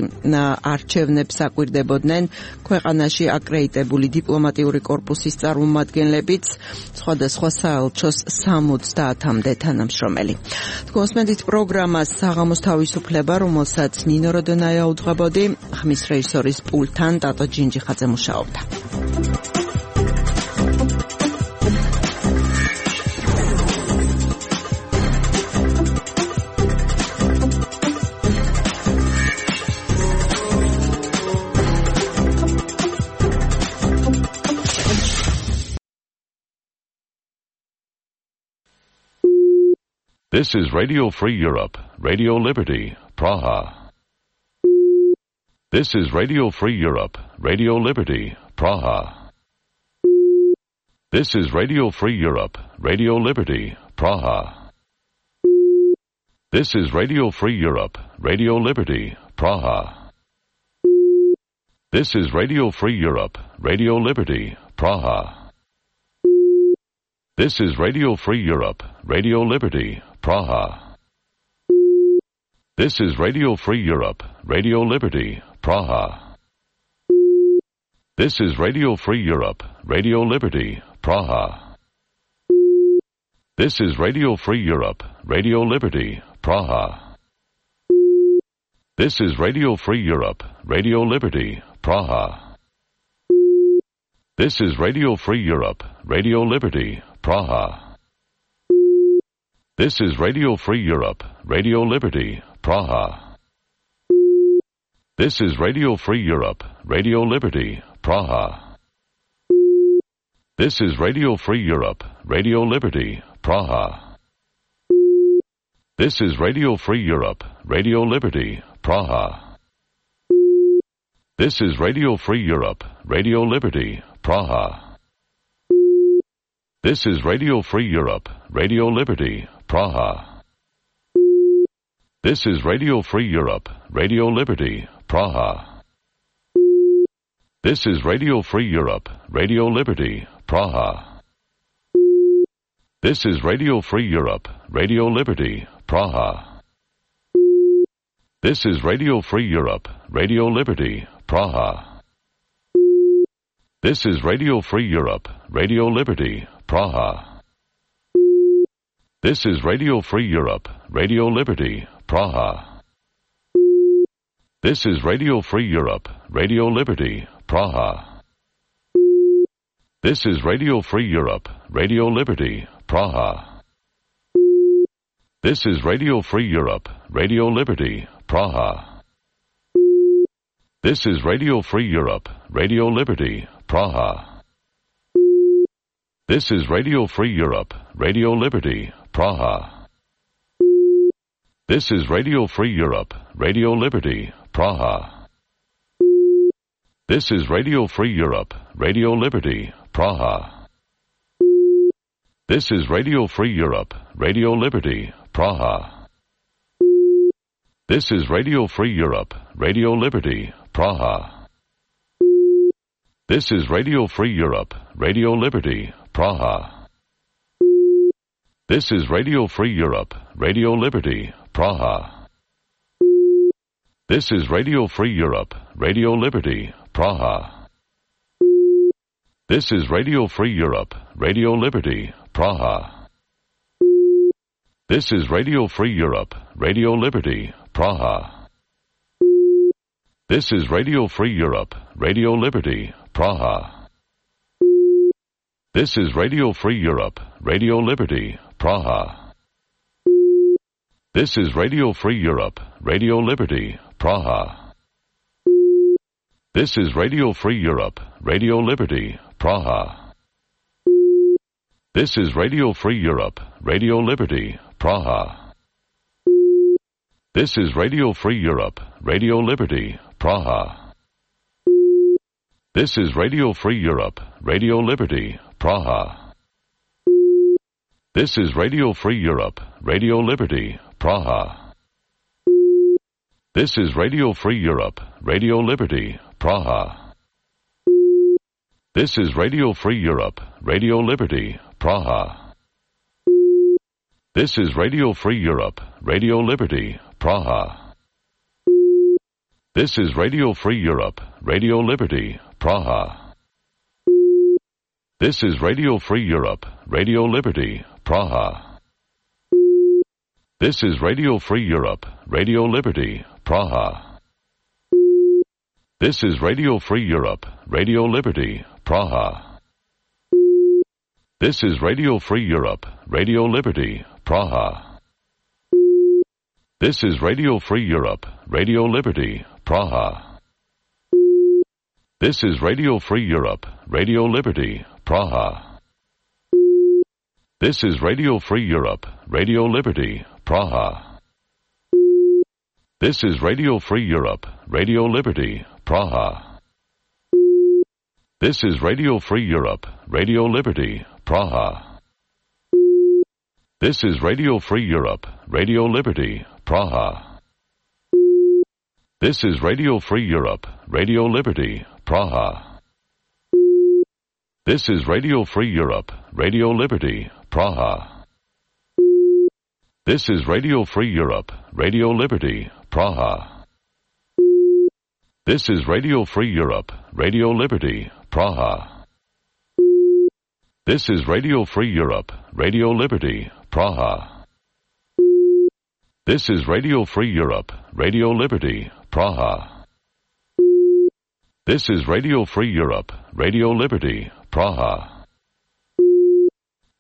არჩევნებს აკვირდებოდნენ ქვეყანაში აკრედიტებული დიპლომატიური კორპუსის წარმომადგენლებიც, სხვადასხვა საელჩოს სამოცდაათამდე თანამშრომელი. თქვენსმენთ პროგრამას საღამოს თავისუფლება, რომელსაც ნინო როდონაია უძღვებოდი, ხმის რეჟისორის პულტთან ტატო ჯინჯიხაძე მუშაობდა. This is Radio Free Europe, Radio Liberty, Praha. This is Radio Free Europe, Radio Liberty, Praha. This is Radio Free Europe, Radio Liberty, Praha. This is Radio Free Europe, Radio Liberty, Praha. This is Radio Free Europe, Radio Liberty, Praha. This is Radio Free Europe, Radio Liberty, Praha. This is Radio Free Europe, Radio Liberty, Praha. This is Radio Free Europe, Radio Liberty, Praha. This is Radio Free Europe, Radio Liberty, Praha. This is Radio Free Europe, Radio Liberty, Praha. This is Radio Free Europe, Radio Liberty, Praha. This is Radio Free Europe, Radio Liberty, Praha. This is Radio Free Europe, Radio Liberty, Praha. This is Radio Free Europe, Radio Liberty, Praha. This is Radio Free Europe, Radio Liberty, Praha. This is Radio Free Europe, Radio Liberty, Praha. This is Radio Free Europe, Radio Liberty, Praha. This is Radio Free Europe, Radio Liberty, Praha. This is Radio Free Europe, Radio Liberty, Praha. This is Radio Free Europe, Radio Liberty, Praha. This is Radio Free Europe, Radio Liberty, Praha. This is Radio Free Europe, Radio Liberty, Praha. This is Radio Free Europe, Radio Liberty, Praha. This is Radio Free Europe, Radio Liberty, Praha. This is Radio Free Europe, Radio Liberty, Praha. This is Radio Free Europe, Radio Liberty, Praha. This is Radio Free Europe, Radio Liberty, Praha. This is Radio Free Europe, Radio Liberty, Praha. This is Radio Free Europe, Radio Liberty, Praha. This is Radio Free Europe, Radio Liberty, Praha. This is Radio Free Europe, Radio Liberty, Praha. This is Radio Free Europe, Radio Liberty, Praha. This is Radio Free Europe, Radio Liberty, Praha. This is Radio Free Europe, Radio Liberty, Praha. This is Radio Free Europe, Radio Liberty, Praha. This is Radio Free Europe, Radio Liberty, Praha. This is Radio Free Europe, Radio Liberty, Praha. This is Radio Free Europe, Radio Liberty, Praha. This is Radio Free Europe, Radio Liberty, Praha. This is Radio Free Europe, Radio Liberty, Praha. This is Radio Free Europe, Radio Liberty, Praha. This is Radio Free Europe, Radio Liberty, Praha. This is Radio Free Europe, Radio Liberty, Praha. This is Radio Free Europe, Radio Liberty, Praha. Praha. This is Radio Free Europe, Radio Liberty, Praha. This is Radio Free Europe, Radio Liberty, Praha. This is Radio Free Europe, Radio Liberty, Praha. This is Radio Free Europe, Radio Liberty, Praha. This is Radio Free Europe, Radio Liberty, Praha. This is Radio Free Europe, Radio Liberty, Praha. This is Radio Free Europe, Radio Liberty, Praha. This is Radio Free Europe, Radio Liberty, Praha. This is Radio Free Europe, Radio Liberty, Praha. This is Radio Free Europe, Radio Liberty, Praha. This is Radio Free Europe, Radio Liberty, Praha. This is Radio Free Europe, Radio Liberty, Praha. This is Radio Free Europe, Radio Liberty, Praha. This is Radio Free Europe, Radio Liberty, Praha. This is Radio Free Europe, Radio Liberty, Praha. This is Radio Free Europe, Radio Liberty, Praha. This is Radio Free Europe, Radio Liberty, Praha. This is Radio Free Europe, Radio Liberty, Praha. This is Radio Free Europe, Radio Liberty, Praha. This is Radio Free Europe, Radio Liberty, Praha. This is Radio Free Europe, Radio Liberty, Praha. This is Radio Free Europe, Radio Liberty, Praha.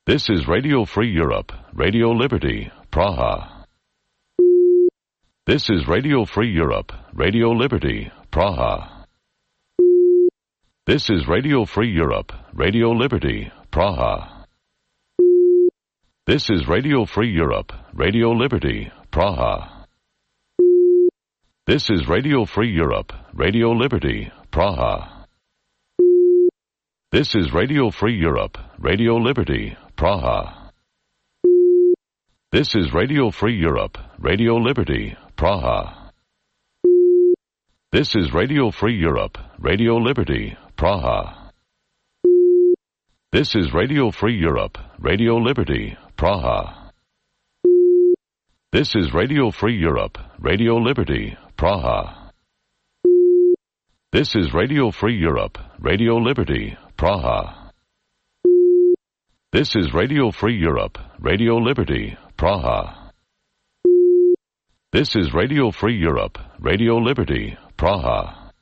This is Radio Free Europe, Radio Liberty, Praha. This is Radio Free Europe, Radio Liberty, Praha. This is Radio Free Europe, Radio Liberty, Praha. This is Radio Free Europe, Radio Liberty, Praha. This is Radio Free Europe, Radio Liberty, Praha. This is Radio Free Europe, Radio Liberty, Praha. This is Radio Free Europe, Radio Liberty, Praha. This is Radio Free Europe, Radio Liberty, Praha. This is Radio Free Europe, Radio Liberty, Praha. This is Radio Free Europe, Radio Liberty, Praha. This is Radio Free Europe, Radio Liberty, Praha. This is Radio Free Europe, Radio Liberty, Praha. This is Radio Free Europe, Radio Liberty, Praha.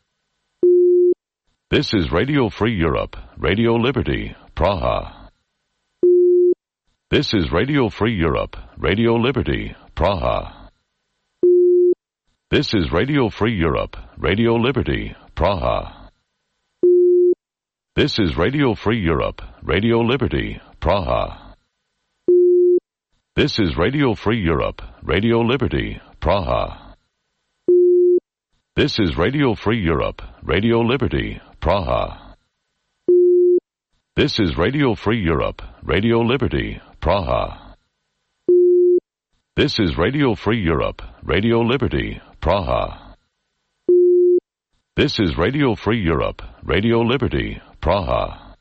This is Radio Free Europe, Radio Liberty, Praha. This is Radio Free Europe, Radio Liberty, Praha. This is Radio Free Europe, Radio Liberty, Praha. This is Radio Free Europe, Radio Liberty, Praha. This is Radio Free Europe, Radio Liberty, Praha. This is Radio Free Europe, Radio Liberty, Praha. This is Radio Free Europe, Radio Liberty, Praha. This is Radio Free Europe, Radio Liberty, Praha. This is Radio Free Europe, Radio Liberty, Praha.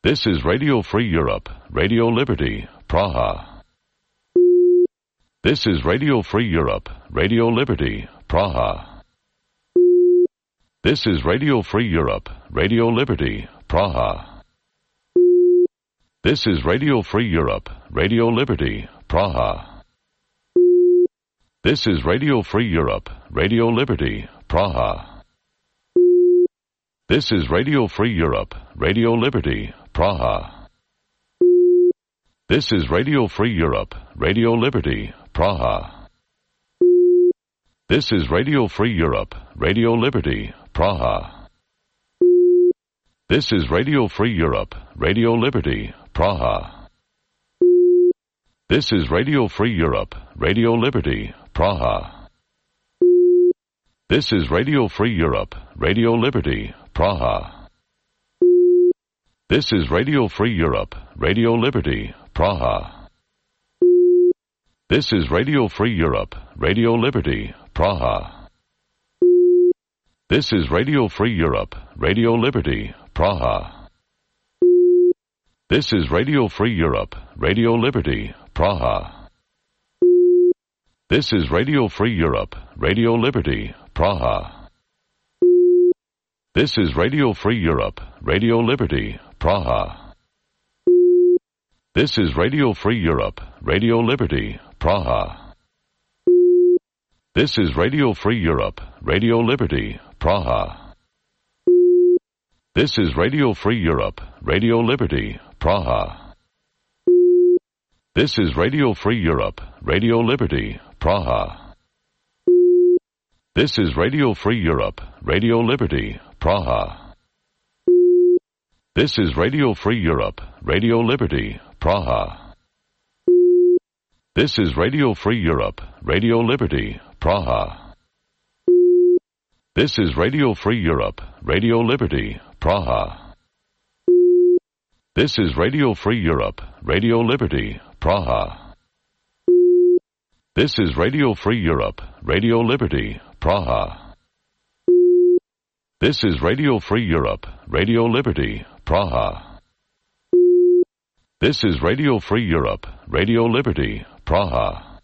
This is Radio Free Europe, Radio Liberty, Praha. This is Radio Free Europe, Radio Liberty, Praha. This is Radio Free Europe, Radio Liberty, Praha. This is Radio Free Europe, Radio Liberty, Praha. This is Radio Free Europe, Radio Liberty, Praha. This is Radio Free Europe, Radio Liberty, Praha. This is Radio Free Europe, Radio Liberty, Praha. This is Radio Free Europe, Radio Liberty, Praha. This is Radio Free Europe, Radio Liberty, Praha. This is Radio Free Europe, Radio Liberty, Praha. This is Radio Free Europe, Radio Liberty, Praha. This is Radio Free Europe, Radio Liberty, Praha. This is Radio Free Europe, Radio Liberty, Praha. This is Radio Free Europe, Radio Liberty, Praha. This is Radio Free Europe, Radio Liberty, Praha. This is Radio Free Europe, Radio Liberty, Praha. This is Radio Free Europe, Radio Liberty, Praha. This is Radio Free Europe, Radio Liberty, Praha. This is Radio Free Europe, Radio Liberty, Praha. This is Radio Free Europe, Radio Liberty, Praha. This is Radio Free Europe, Radio Liberty, Praha. This is Radio Free Europe, Radio Liberty, Praha. This is Radio Free Europe, Radio Liberty, Praha. This is Radio Free Europe, Radio Liberty, Praha. This is Radio Free Europe, Radio Liberty, Praha. This is Radio Free Europe, Radio Liberty, Praha. This is Radio Free Europe, Radio Liberty, Praha. This is Radio Free Europe, Radio Liberty, Praha. This is Radio Free Europe, Radio Liberty, Praha.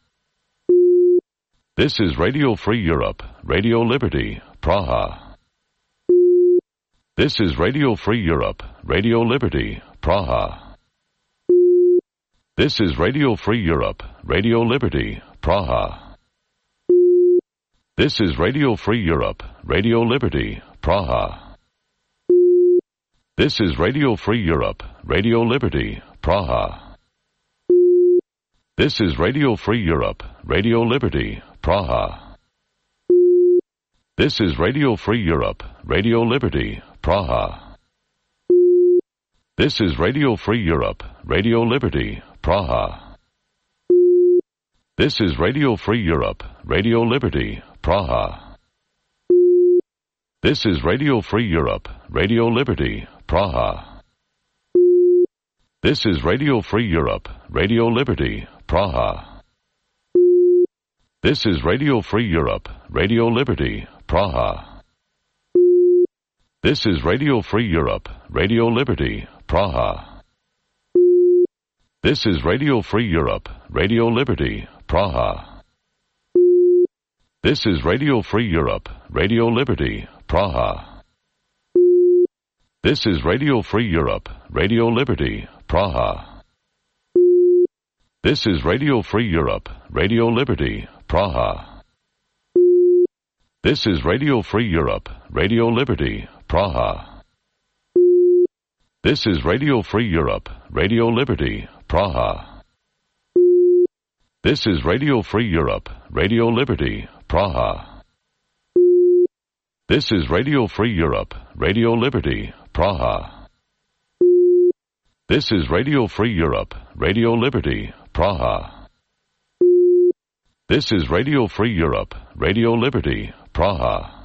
This is Radio Free Europe, Radio Liberty, Praha. This is Radio Free Europe, Radio Liberty, Praha. This is Radio Free Europe, Radio Liberty, Praha. This is Radio Free Europe, Radio Liberty, Praha. This is Radio Free Europe, Radio Liberty, Praha. This is Radio Free Europe, Radio Liberty, Praha. This is Radio Free Europe, Radio Liberty, Praha. This is Radio Free Europe, Radio Liberty, Praha. This is Radio Free Europe, Radio Liberty, Praha. This is Radio Free Europe, Radio Liberty, Praha. This is Radio Free Europe, Radio Liberty, Praha. This is Radio Free Europe, Radio Liberty, Praha. This is Radio Free Europe, Radio Liberty, Praha. This is Radio Free Europe, Radio Liberty, Praha. This is Radio Free Europe, Radio Liberty, Praha. This is Radio Free Europe, Radio Liberty, Praha. This is Radio Free Europe, Radio Liberty, Praha. This is Radio Free Europe, Radio Liberty, Praha. This is Radio Free Europe, Radio Liberty, Praha. This is Radio Free Europe, Radio Liberty, Praha. This is Radio Free Europe, Radio Liberty, Praha. This is Radio Free Europe, Radio Liberty, Praha. This is Radio Free Europe, Radio Liberty, Praha.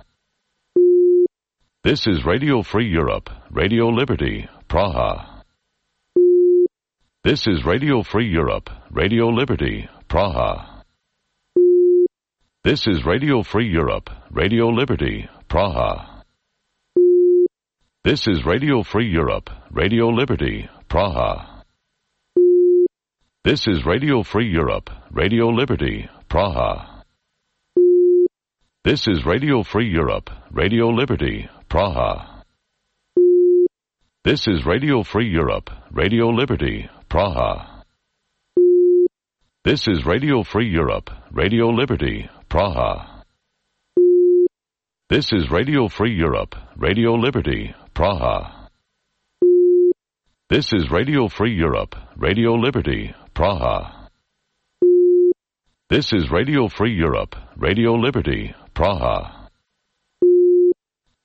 This is Radio Free Europe, Radio Liberty, Praha. This is Radio Free Europe, Radio Liberty, Praha. This is Radio Free Europe, Radio Liberty, Praha. This is Radio Free Europe, Radio Liberty, Praha. This is Radio Free Europe, Radio Liberty, Praha. This is Radio Free Europe, Radio Liberty, Praha. This is Radio Free Europe, Radio Liberty, Praha. This is Radio Free Europe, Radio Liberty, Praha. This is Radio Free Europe, Radio Liberty, Praha. This is Radio Free Europe, Radio Liberty, Praha. This is Radio Free Europe, Radio Liberty, Praha.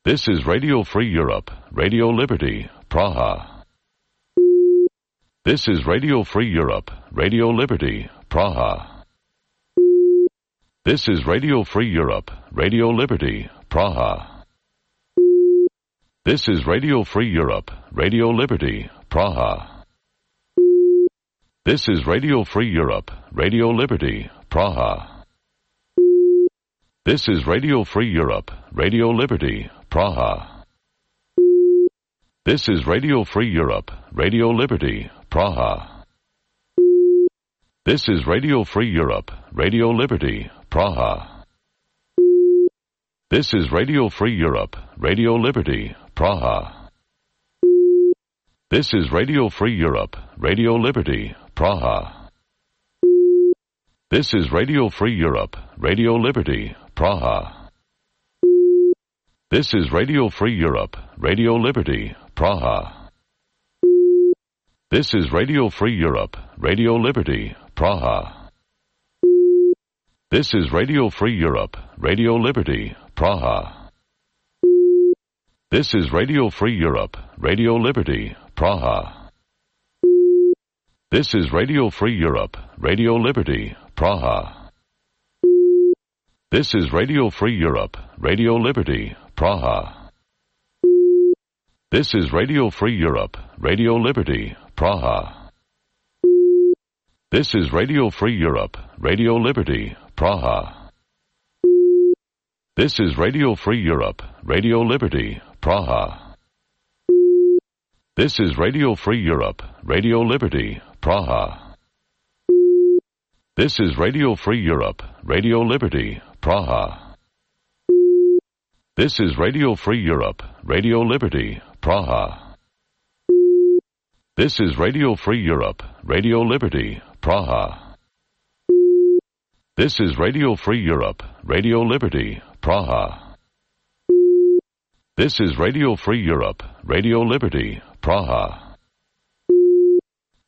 This is Radio Free Europe, Radio Liberty, Praha. This is Radio Free Europe, Radio Liberty, Praha. This is Radio Free Europe, Radio Liberty, Praha. This is Radio Free Europe, Radio Liberty, Praha. This is Radio Free Europe, Radio Liberty, Praha. This is Radio Free Europe, Radio Liberty, Praha. This is Radio Free Europe, Radio Liberty, Praha. This is Radio Free Europe, Radio Liberty, Praha. This is Radio Free Europe, Radio Liberty, Praha. This is Radio Free Europe, Radio Liberty, Praha. This is Radio Free Europe, Radio Liberty, Praha. This is Radio Free Europe, Radio Liberty, Praha. This is Radio Free Europe, Radio Liberty, Praha. This is Radio Free Europe, Radio Liberty, Praha. This is Radio Free Europe, Radio Liberty, Praha. This is Radio Free Europe, Radio Liberty, Praha. This is Radio Free Europe, Radio Liberty, Praha. This is Radio Free Europe, Radio Liberty, Praha. This is Radio Free Europe, Radio Liberty, Praha. This is Radio Free Europe, Radio Liberty, Praha. This is Radio Free Europe, Radio Liberty, Praha. This is Radio Free Europe, Radio Liberty, Praha. This is Radio Free Europe, Radio Liberty, Praha. This is Radio Free Europe, Radio Liberty, Praha. This is Radio Free Europe, Radio Liberty, Praha. This is Radio Free Europe, Radio Liberty, Praha.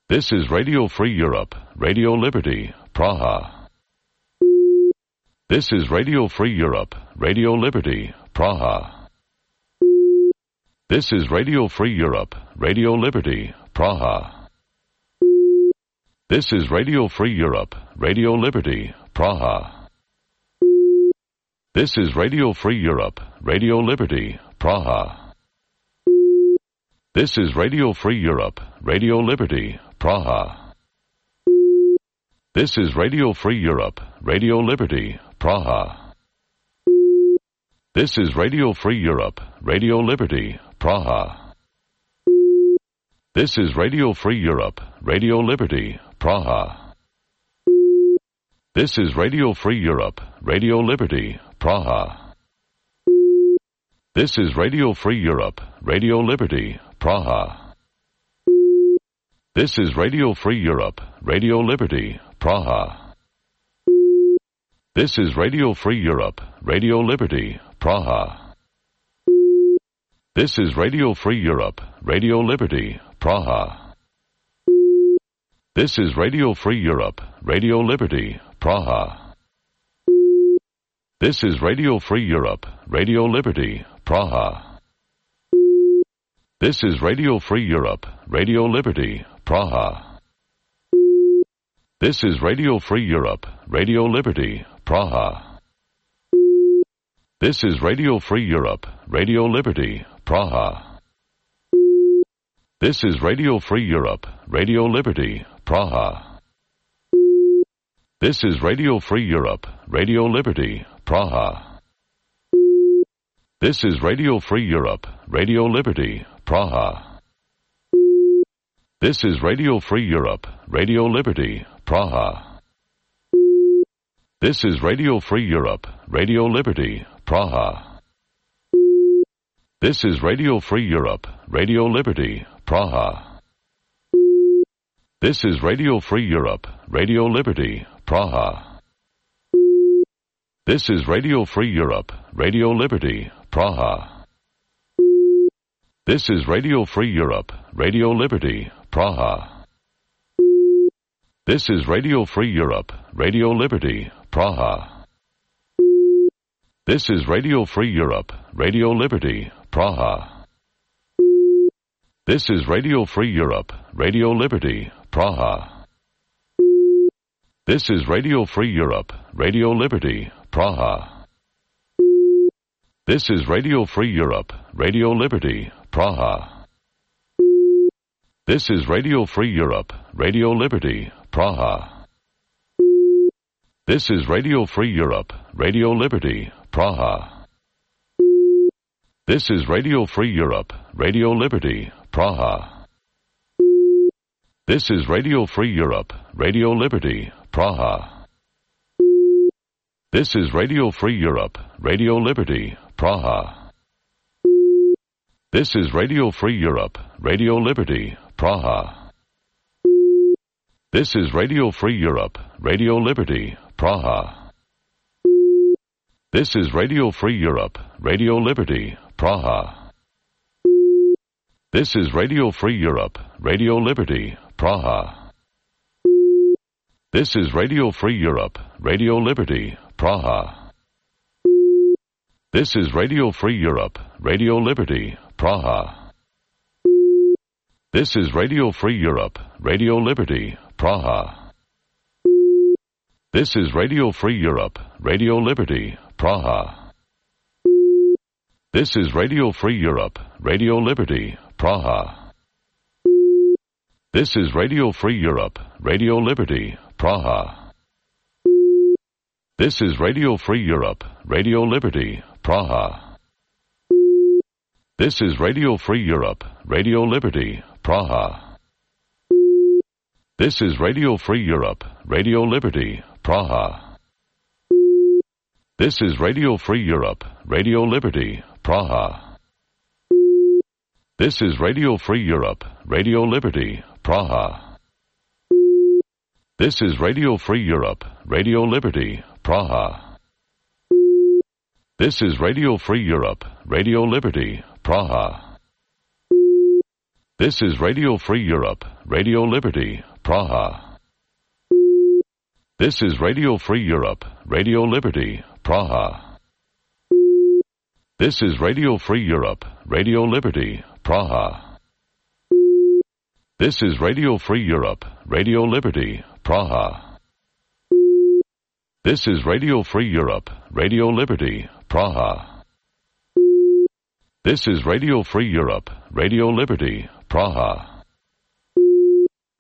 This is Radio Free Europe, Radio Liberty, Praha. This is Radio Free Europe, Radio Liberty, Praha. This is Radio Free Europe, Radio Liberty, Praha. This is Radio Free Europe, Radio Liberty, Praha. This is Radio Free Europe, Radio Liberty, Praha. This is Radio Free Europe, Radio Liberty, Praha. This is Radio Free Europe, Radio Liberty, Praha. This is Radio Free Europe, Radio Liberty, Praha. This is Radio Free Europe, Radio Liberty, Praha. This is Radio Free Europe, Radio Liberty, Praha. This is Radio Free Europe, Radio Liberty, Praha. This is Radio Free Europe, Radio Liberty, Praha. This is Radio Free Europe, Radio Liberty, Praha. This is Radio Free Europe, Radio Liberty, Praha. This is Radio Free Europe, Radio Liberty, Praha. This is Radio Free Europe, Radio Liberty, Praha. This is Radio Free Europe, Radio Liberty, Praha. This is Radio Free Europe, Radio Liberty, Praha. This is Radio Free Europe, Radio Liberty, Praha. This is Radio Free Europe, Radio Liberty, Praha. This is Radio Free Europe, Radio Liberty, Praha. This is Radio Free Europe, Radio Liberty, Praha. This is Radio Free Europe, Radio Liberty, Praha. This is Radio Free Europe, Radio Liberty, Praha. This is Radio Free Europe, Radio Liberty, Praha. This is Radio Free Europe, Radio Liberty, Praha. This is Radio Free Europe, Radio Liberty, Praha. This is Radio Free Europe, Radio Liberty, Praha. This is Radio Free Europe, Radio Liberty, Praha. This is Radio Free Europe, Radio Liberty, Praha. This is Radio Free Europe, Radio Liberty, Praha. This is Radio Free Europe, Radio Liberty, Praha. This is Radio Free Europe, Radio Liberty, Praha. This is Radio Free Europe, Radio Liberty, Praha. This is Radio Free Europe, Radio Liberty, Praha. This is Radio Free Europe, Radio Liberty, Praha. This is Radio Free Europe, Radio Liberty, Praha. This is Radio Free Europe, Radio Liberty, Praha. This is Radio Free Europe, Radio Liberty, Praha. This is Radio Free Europe, Radio Liberty, Praha. This is Radio Free Europe, Radio Liberty, Praha. This is Radio Free Europe, Radio Liberty, Praha. This is Radio Free Europe, Radio Liberty, Praha. This is Radio Free Europe, Radio Liberty, Praha. This is Radio Free Europe, Radio Liberty, Praha. This is Radio Free Europe, Radio Liberty, Praha. This is Radio Free Europe, Radio Liberty, Praha. This is Radio Free Europe, Radio Liberty, Praha. This is Radio Free Europe, Radio Liberty, Praha. This is Radio Free Europe, Radio Liberty, Praha. This is Radio Free Europe, Radio Liberty, Praha. This is Radio Free Europe, Radio Liberty, Praha. This is Radio Free Europe, Radio Liberty, Praha. This is Radio Free Europe, Radio Liberty, Praha. This is Radio Free Europe, Radio Liberty, Praha. This is Radio Free Europe, Radio Liberty, Praha. This is Radio Free Europe, Radio Liberty, Praha. This is Radio Free Europe, Radio Liberty, Praha. This is Radio Free Europe, Radio Liberty, Praha. This is Radio Free Europe, Radio Liberty, Praha. This is Radio Free Europe, Radio Liberty, Praha.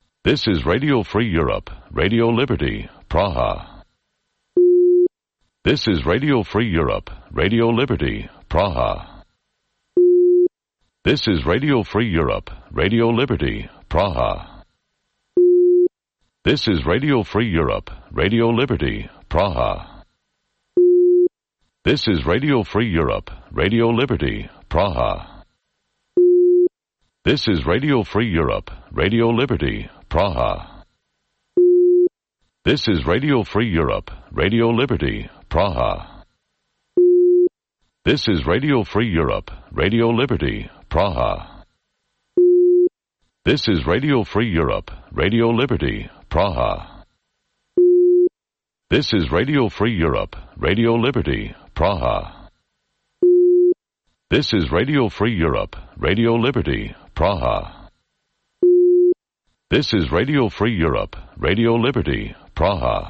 This is Radio Free Europe, Radio Liberty, Praha. This is Radio Free Europe, Radio Liberty, Praha. This is Radio Free Europe, Radio Liberty, Praha. This is Radio Free Europe, Radio Liberty, Praha. This is Radio Free Europe, Radio Liberty, Praha. This is Radio Free Europe, Radio Liberty, Praha. This is Radio Free Europe, Radio Liberty, Praha. This is Radio Free Europe, Radio Liberty, Praha. This is Radio Free Europe, Radio Liberty, Praha. This is Radio Free Europe, Radio Liberty, Praha. This is Radio Free Europe, Radio Liberty, Praha. This is Radio Free Europe, Radio Liberty, Praha.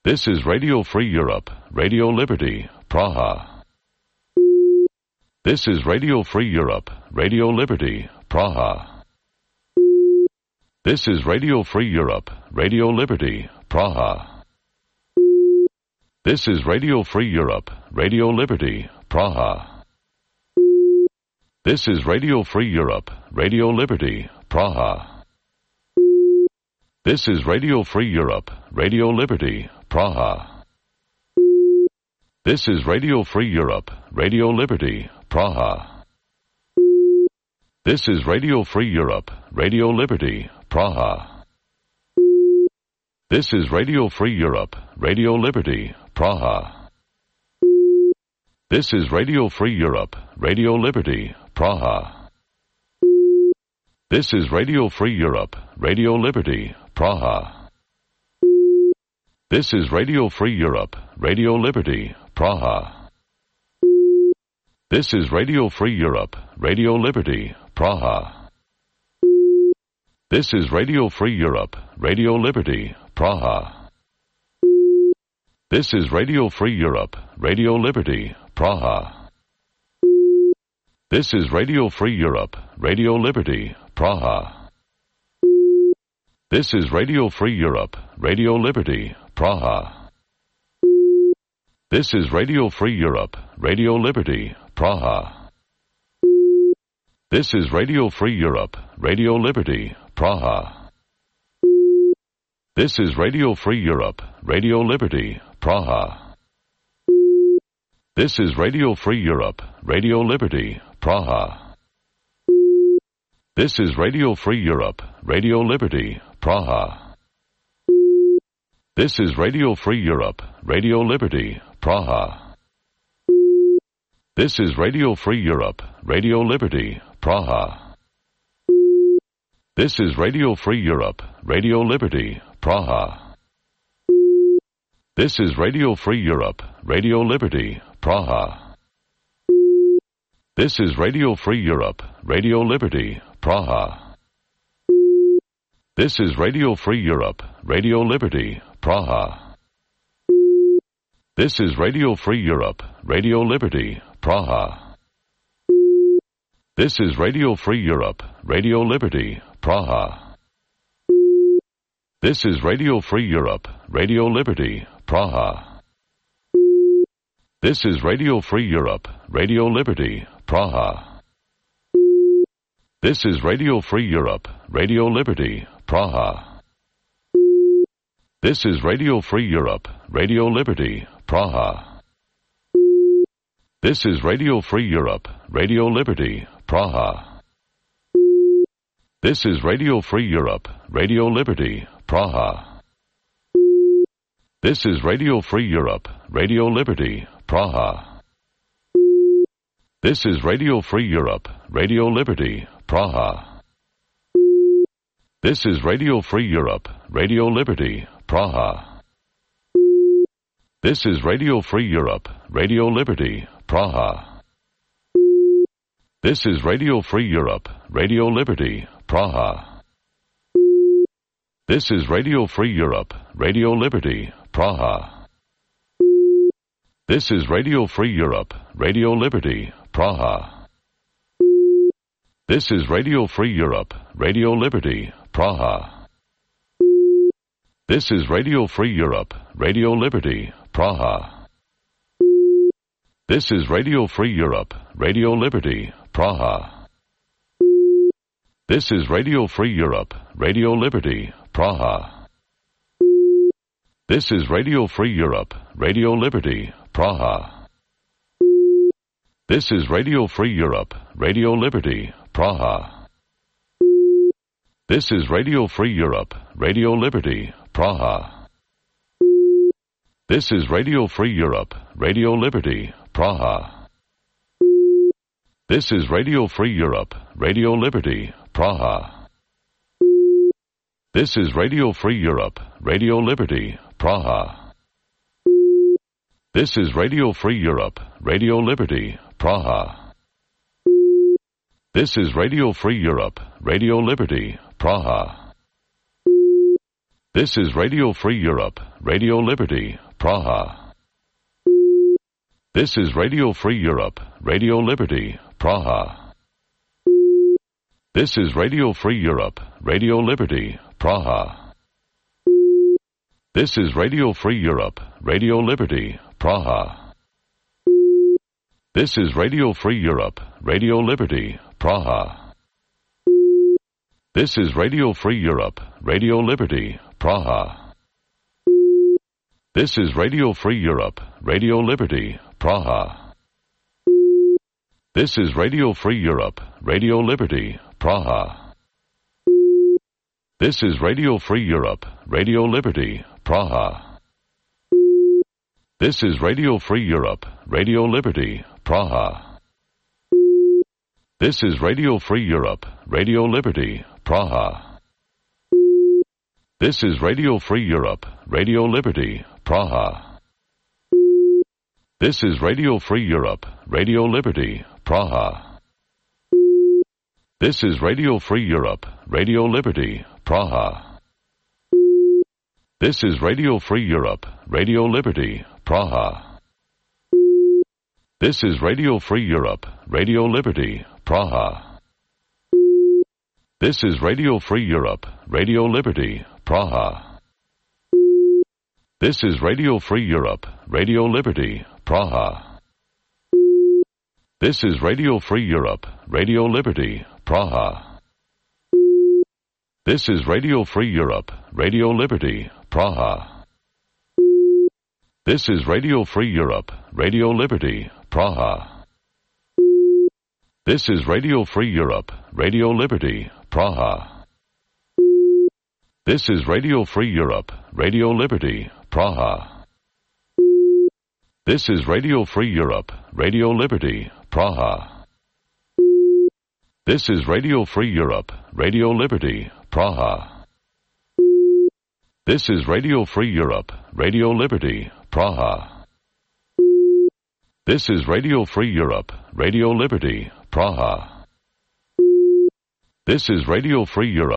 This is Radio Free Europe, Radio Liberty, Praha. This is Radio Free Europe, Radio Liberty, Praha. This is Radio Free Europe, Radio Liberty, Praha. This is Radio Free Europe, Radio Liberty, Praha. This is Radio Free Europe, Radio Liberty, Praha. This is Radio Free Europe, Radio Liberty, Praha. This is Radio Free Europe, Radio Liberty, Praha. This is Radio Free Europe, Radio Liberty, Praha. This is Radio Free Europe, Radio Liberty, Praha. This is Radio Free Europe, Radio Liberty, Praha. This is Radio Free Europe, Radio Liberty, Praha. This is Radio Free Europe, Radio Liberty, Praha. This is Radio Free Europe, Radio Liberty, Praha. This is Radio Free Europe, Radio Liberty, Praha. This is Radio Free Europe, Radio Liberty, Praha. This is Radio Free Europe, Radio Liberty, Praha. This is Radio Free Europe, Radio Liberty, Praha. This is Radio Free Europe, Radio Liberty, Praha. This is Radio Free Europe, Radio Liberty, Praha. This is Radio Free Europe, Radio Liberty, Praha. This is Radio Free Europe, Radio Liberty, Praha. This is Radio Free Europe, Radio Liberty, Praha. This is Radio Free Europe, Radio Liberty, Praha. This is Radio Free Europe, Radio Liberty, Praha. This is Radio Free Europe, Radio Liberty, Praha. This is Radio Free Europe, Radio Liberty, Praha. This is Radio Free Europe, Radio Liberty, Praha. This is Radio Free Europe, Radio Liberty, Praha. This is Radio Free Europe, Radio Liberty, Praha. This is Radio Free Europe, Radio Liberty, Praha. This is Radio Free Europe, Radio Liberty, Praha. This is Radio Free Europe, Radio Liberty, Praha. This is Radio Free Europe, Radio Liberty, Praha. This is Radio Free Europe, Radio Liberty, Praha. This is Radio Free Europe, Radio Liberty, Praha. This is Radio Free Europe, Radio Liberty, Praha. This is Radio Free Europe, Radio Liberty, Praha. This is Radio Free Europe, Radio Liberty, Praha. This is Radio Free Europe, Radio Liberty, Praha. This is Radio Free Europe, Radio Liberty, Praha. This is Radio Free Europe, Radio Liberty, Praha. This is Radio Free Europe, Radio Liberty, Praha. This is Radio Free Europe, Radio Liberty, Praha. This is Radio Free Europe, Radio Liberty, Praha. This is Radio Free Europe, Radio Liberty, Praha. This is Radio Free Europe, Radio Liberty, Praha. This is Radio Free Europe, Radio Liberty, Praha. This is Radio Free Europe, Radio Liberty, Praha. This is Radio Free Europe, Radio Liberty, Praha. This is Radio Free Europe, Radio Liberty, Praha. This is Radio Free Europe, Radio Liberty, Praha. This is Radio Free Europe, Radio Liberty, Praha. This is Radio Free Europe, Radio Liberty, Praha. This is Radio Free Europe, Radio Liberty, Praha. This is Radio Free Europe, Radio Liberty, Praha. This is Radio Free Europe, Radio Liberty, Praha. This is Radio Free Europe, Radio Liberty, Praha. This is Radio Free Europe, Radio Liberty, Praha. This is Radio Free Europe, Radio Liberty, Praha. This is Radio Free Europe, Radio Liberty, Praha. This is Radio Free Europe, Radio Liberty, Praha. This is Radio Free Europe, Radio Liberty, Praha. This is Radio Free Europe, Radio Liberty, Praha. This is Radio Free Europe, Radio Liberty, Praha. This is Radio Free Europe, Radio Liberty, Praha. This is Radio Free Europe, Radio Liberty, Praha. This is Radio Free Europe, Radio Liberty, Praha. This is Radio Free Europe, Radio Liberty, Praha. This is Radio Free Europe, Radio Liberty, Praha. This is Radio Free Europe, Radio Liberty, Praha. This is Radio Free Europe, Radio Liberty, Praha. This is Radio Free Europe, Radio Liberty, Praha. This is Radio Free Europe, Radio Liberty, Praha. This is Radio Free Europe, Radio Liberty, Praha. This is Radio Free Europe, Radio Liberty, Praha. This is Radio Free Europe, Radio Liberty, Praha. This is Radio Free Europe, Radio Liberty, Praha. This is Radio Free Europe, Radio Liberty, Praha. This is Radio Free Europe, Radio Liberty, Praha. This is Radio Free Europe, Radio Liberty, Praha. This is Radio Free Europe, Radio Liberty, Praha. This is Radio Free Europe, Radio Liberty, Praha. This is Radio Free Europe,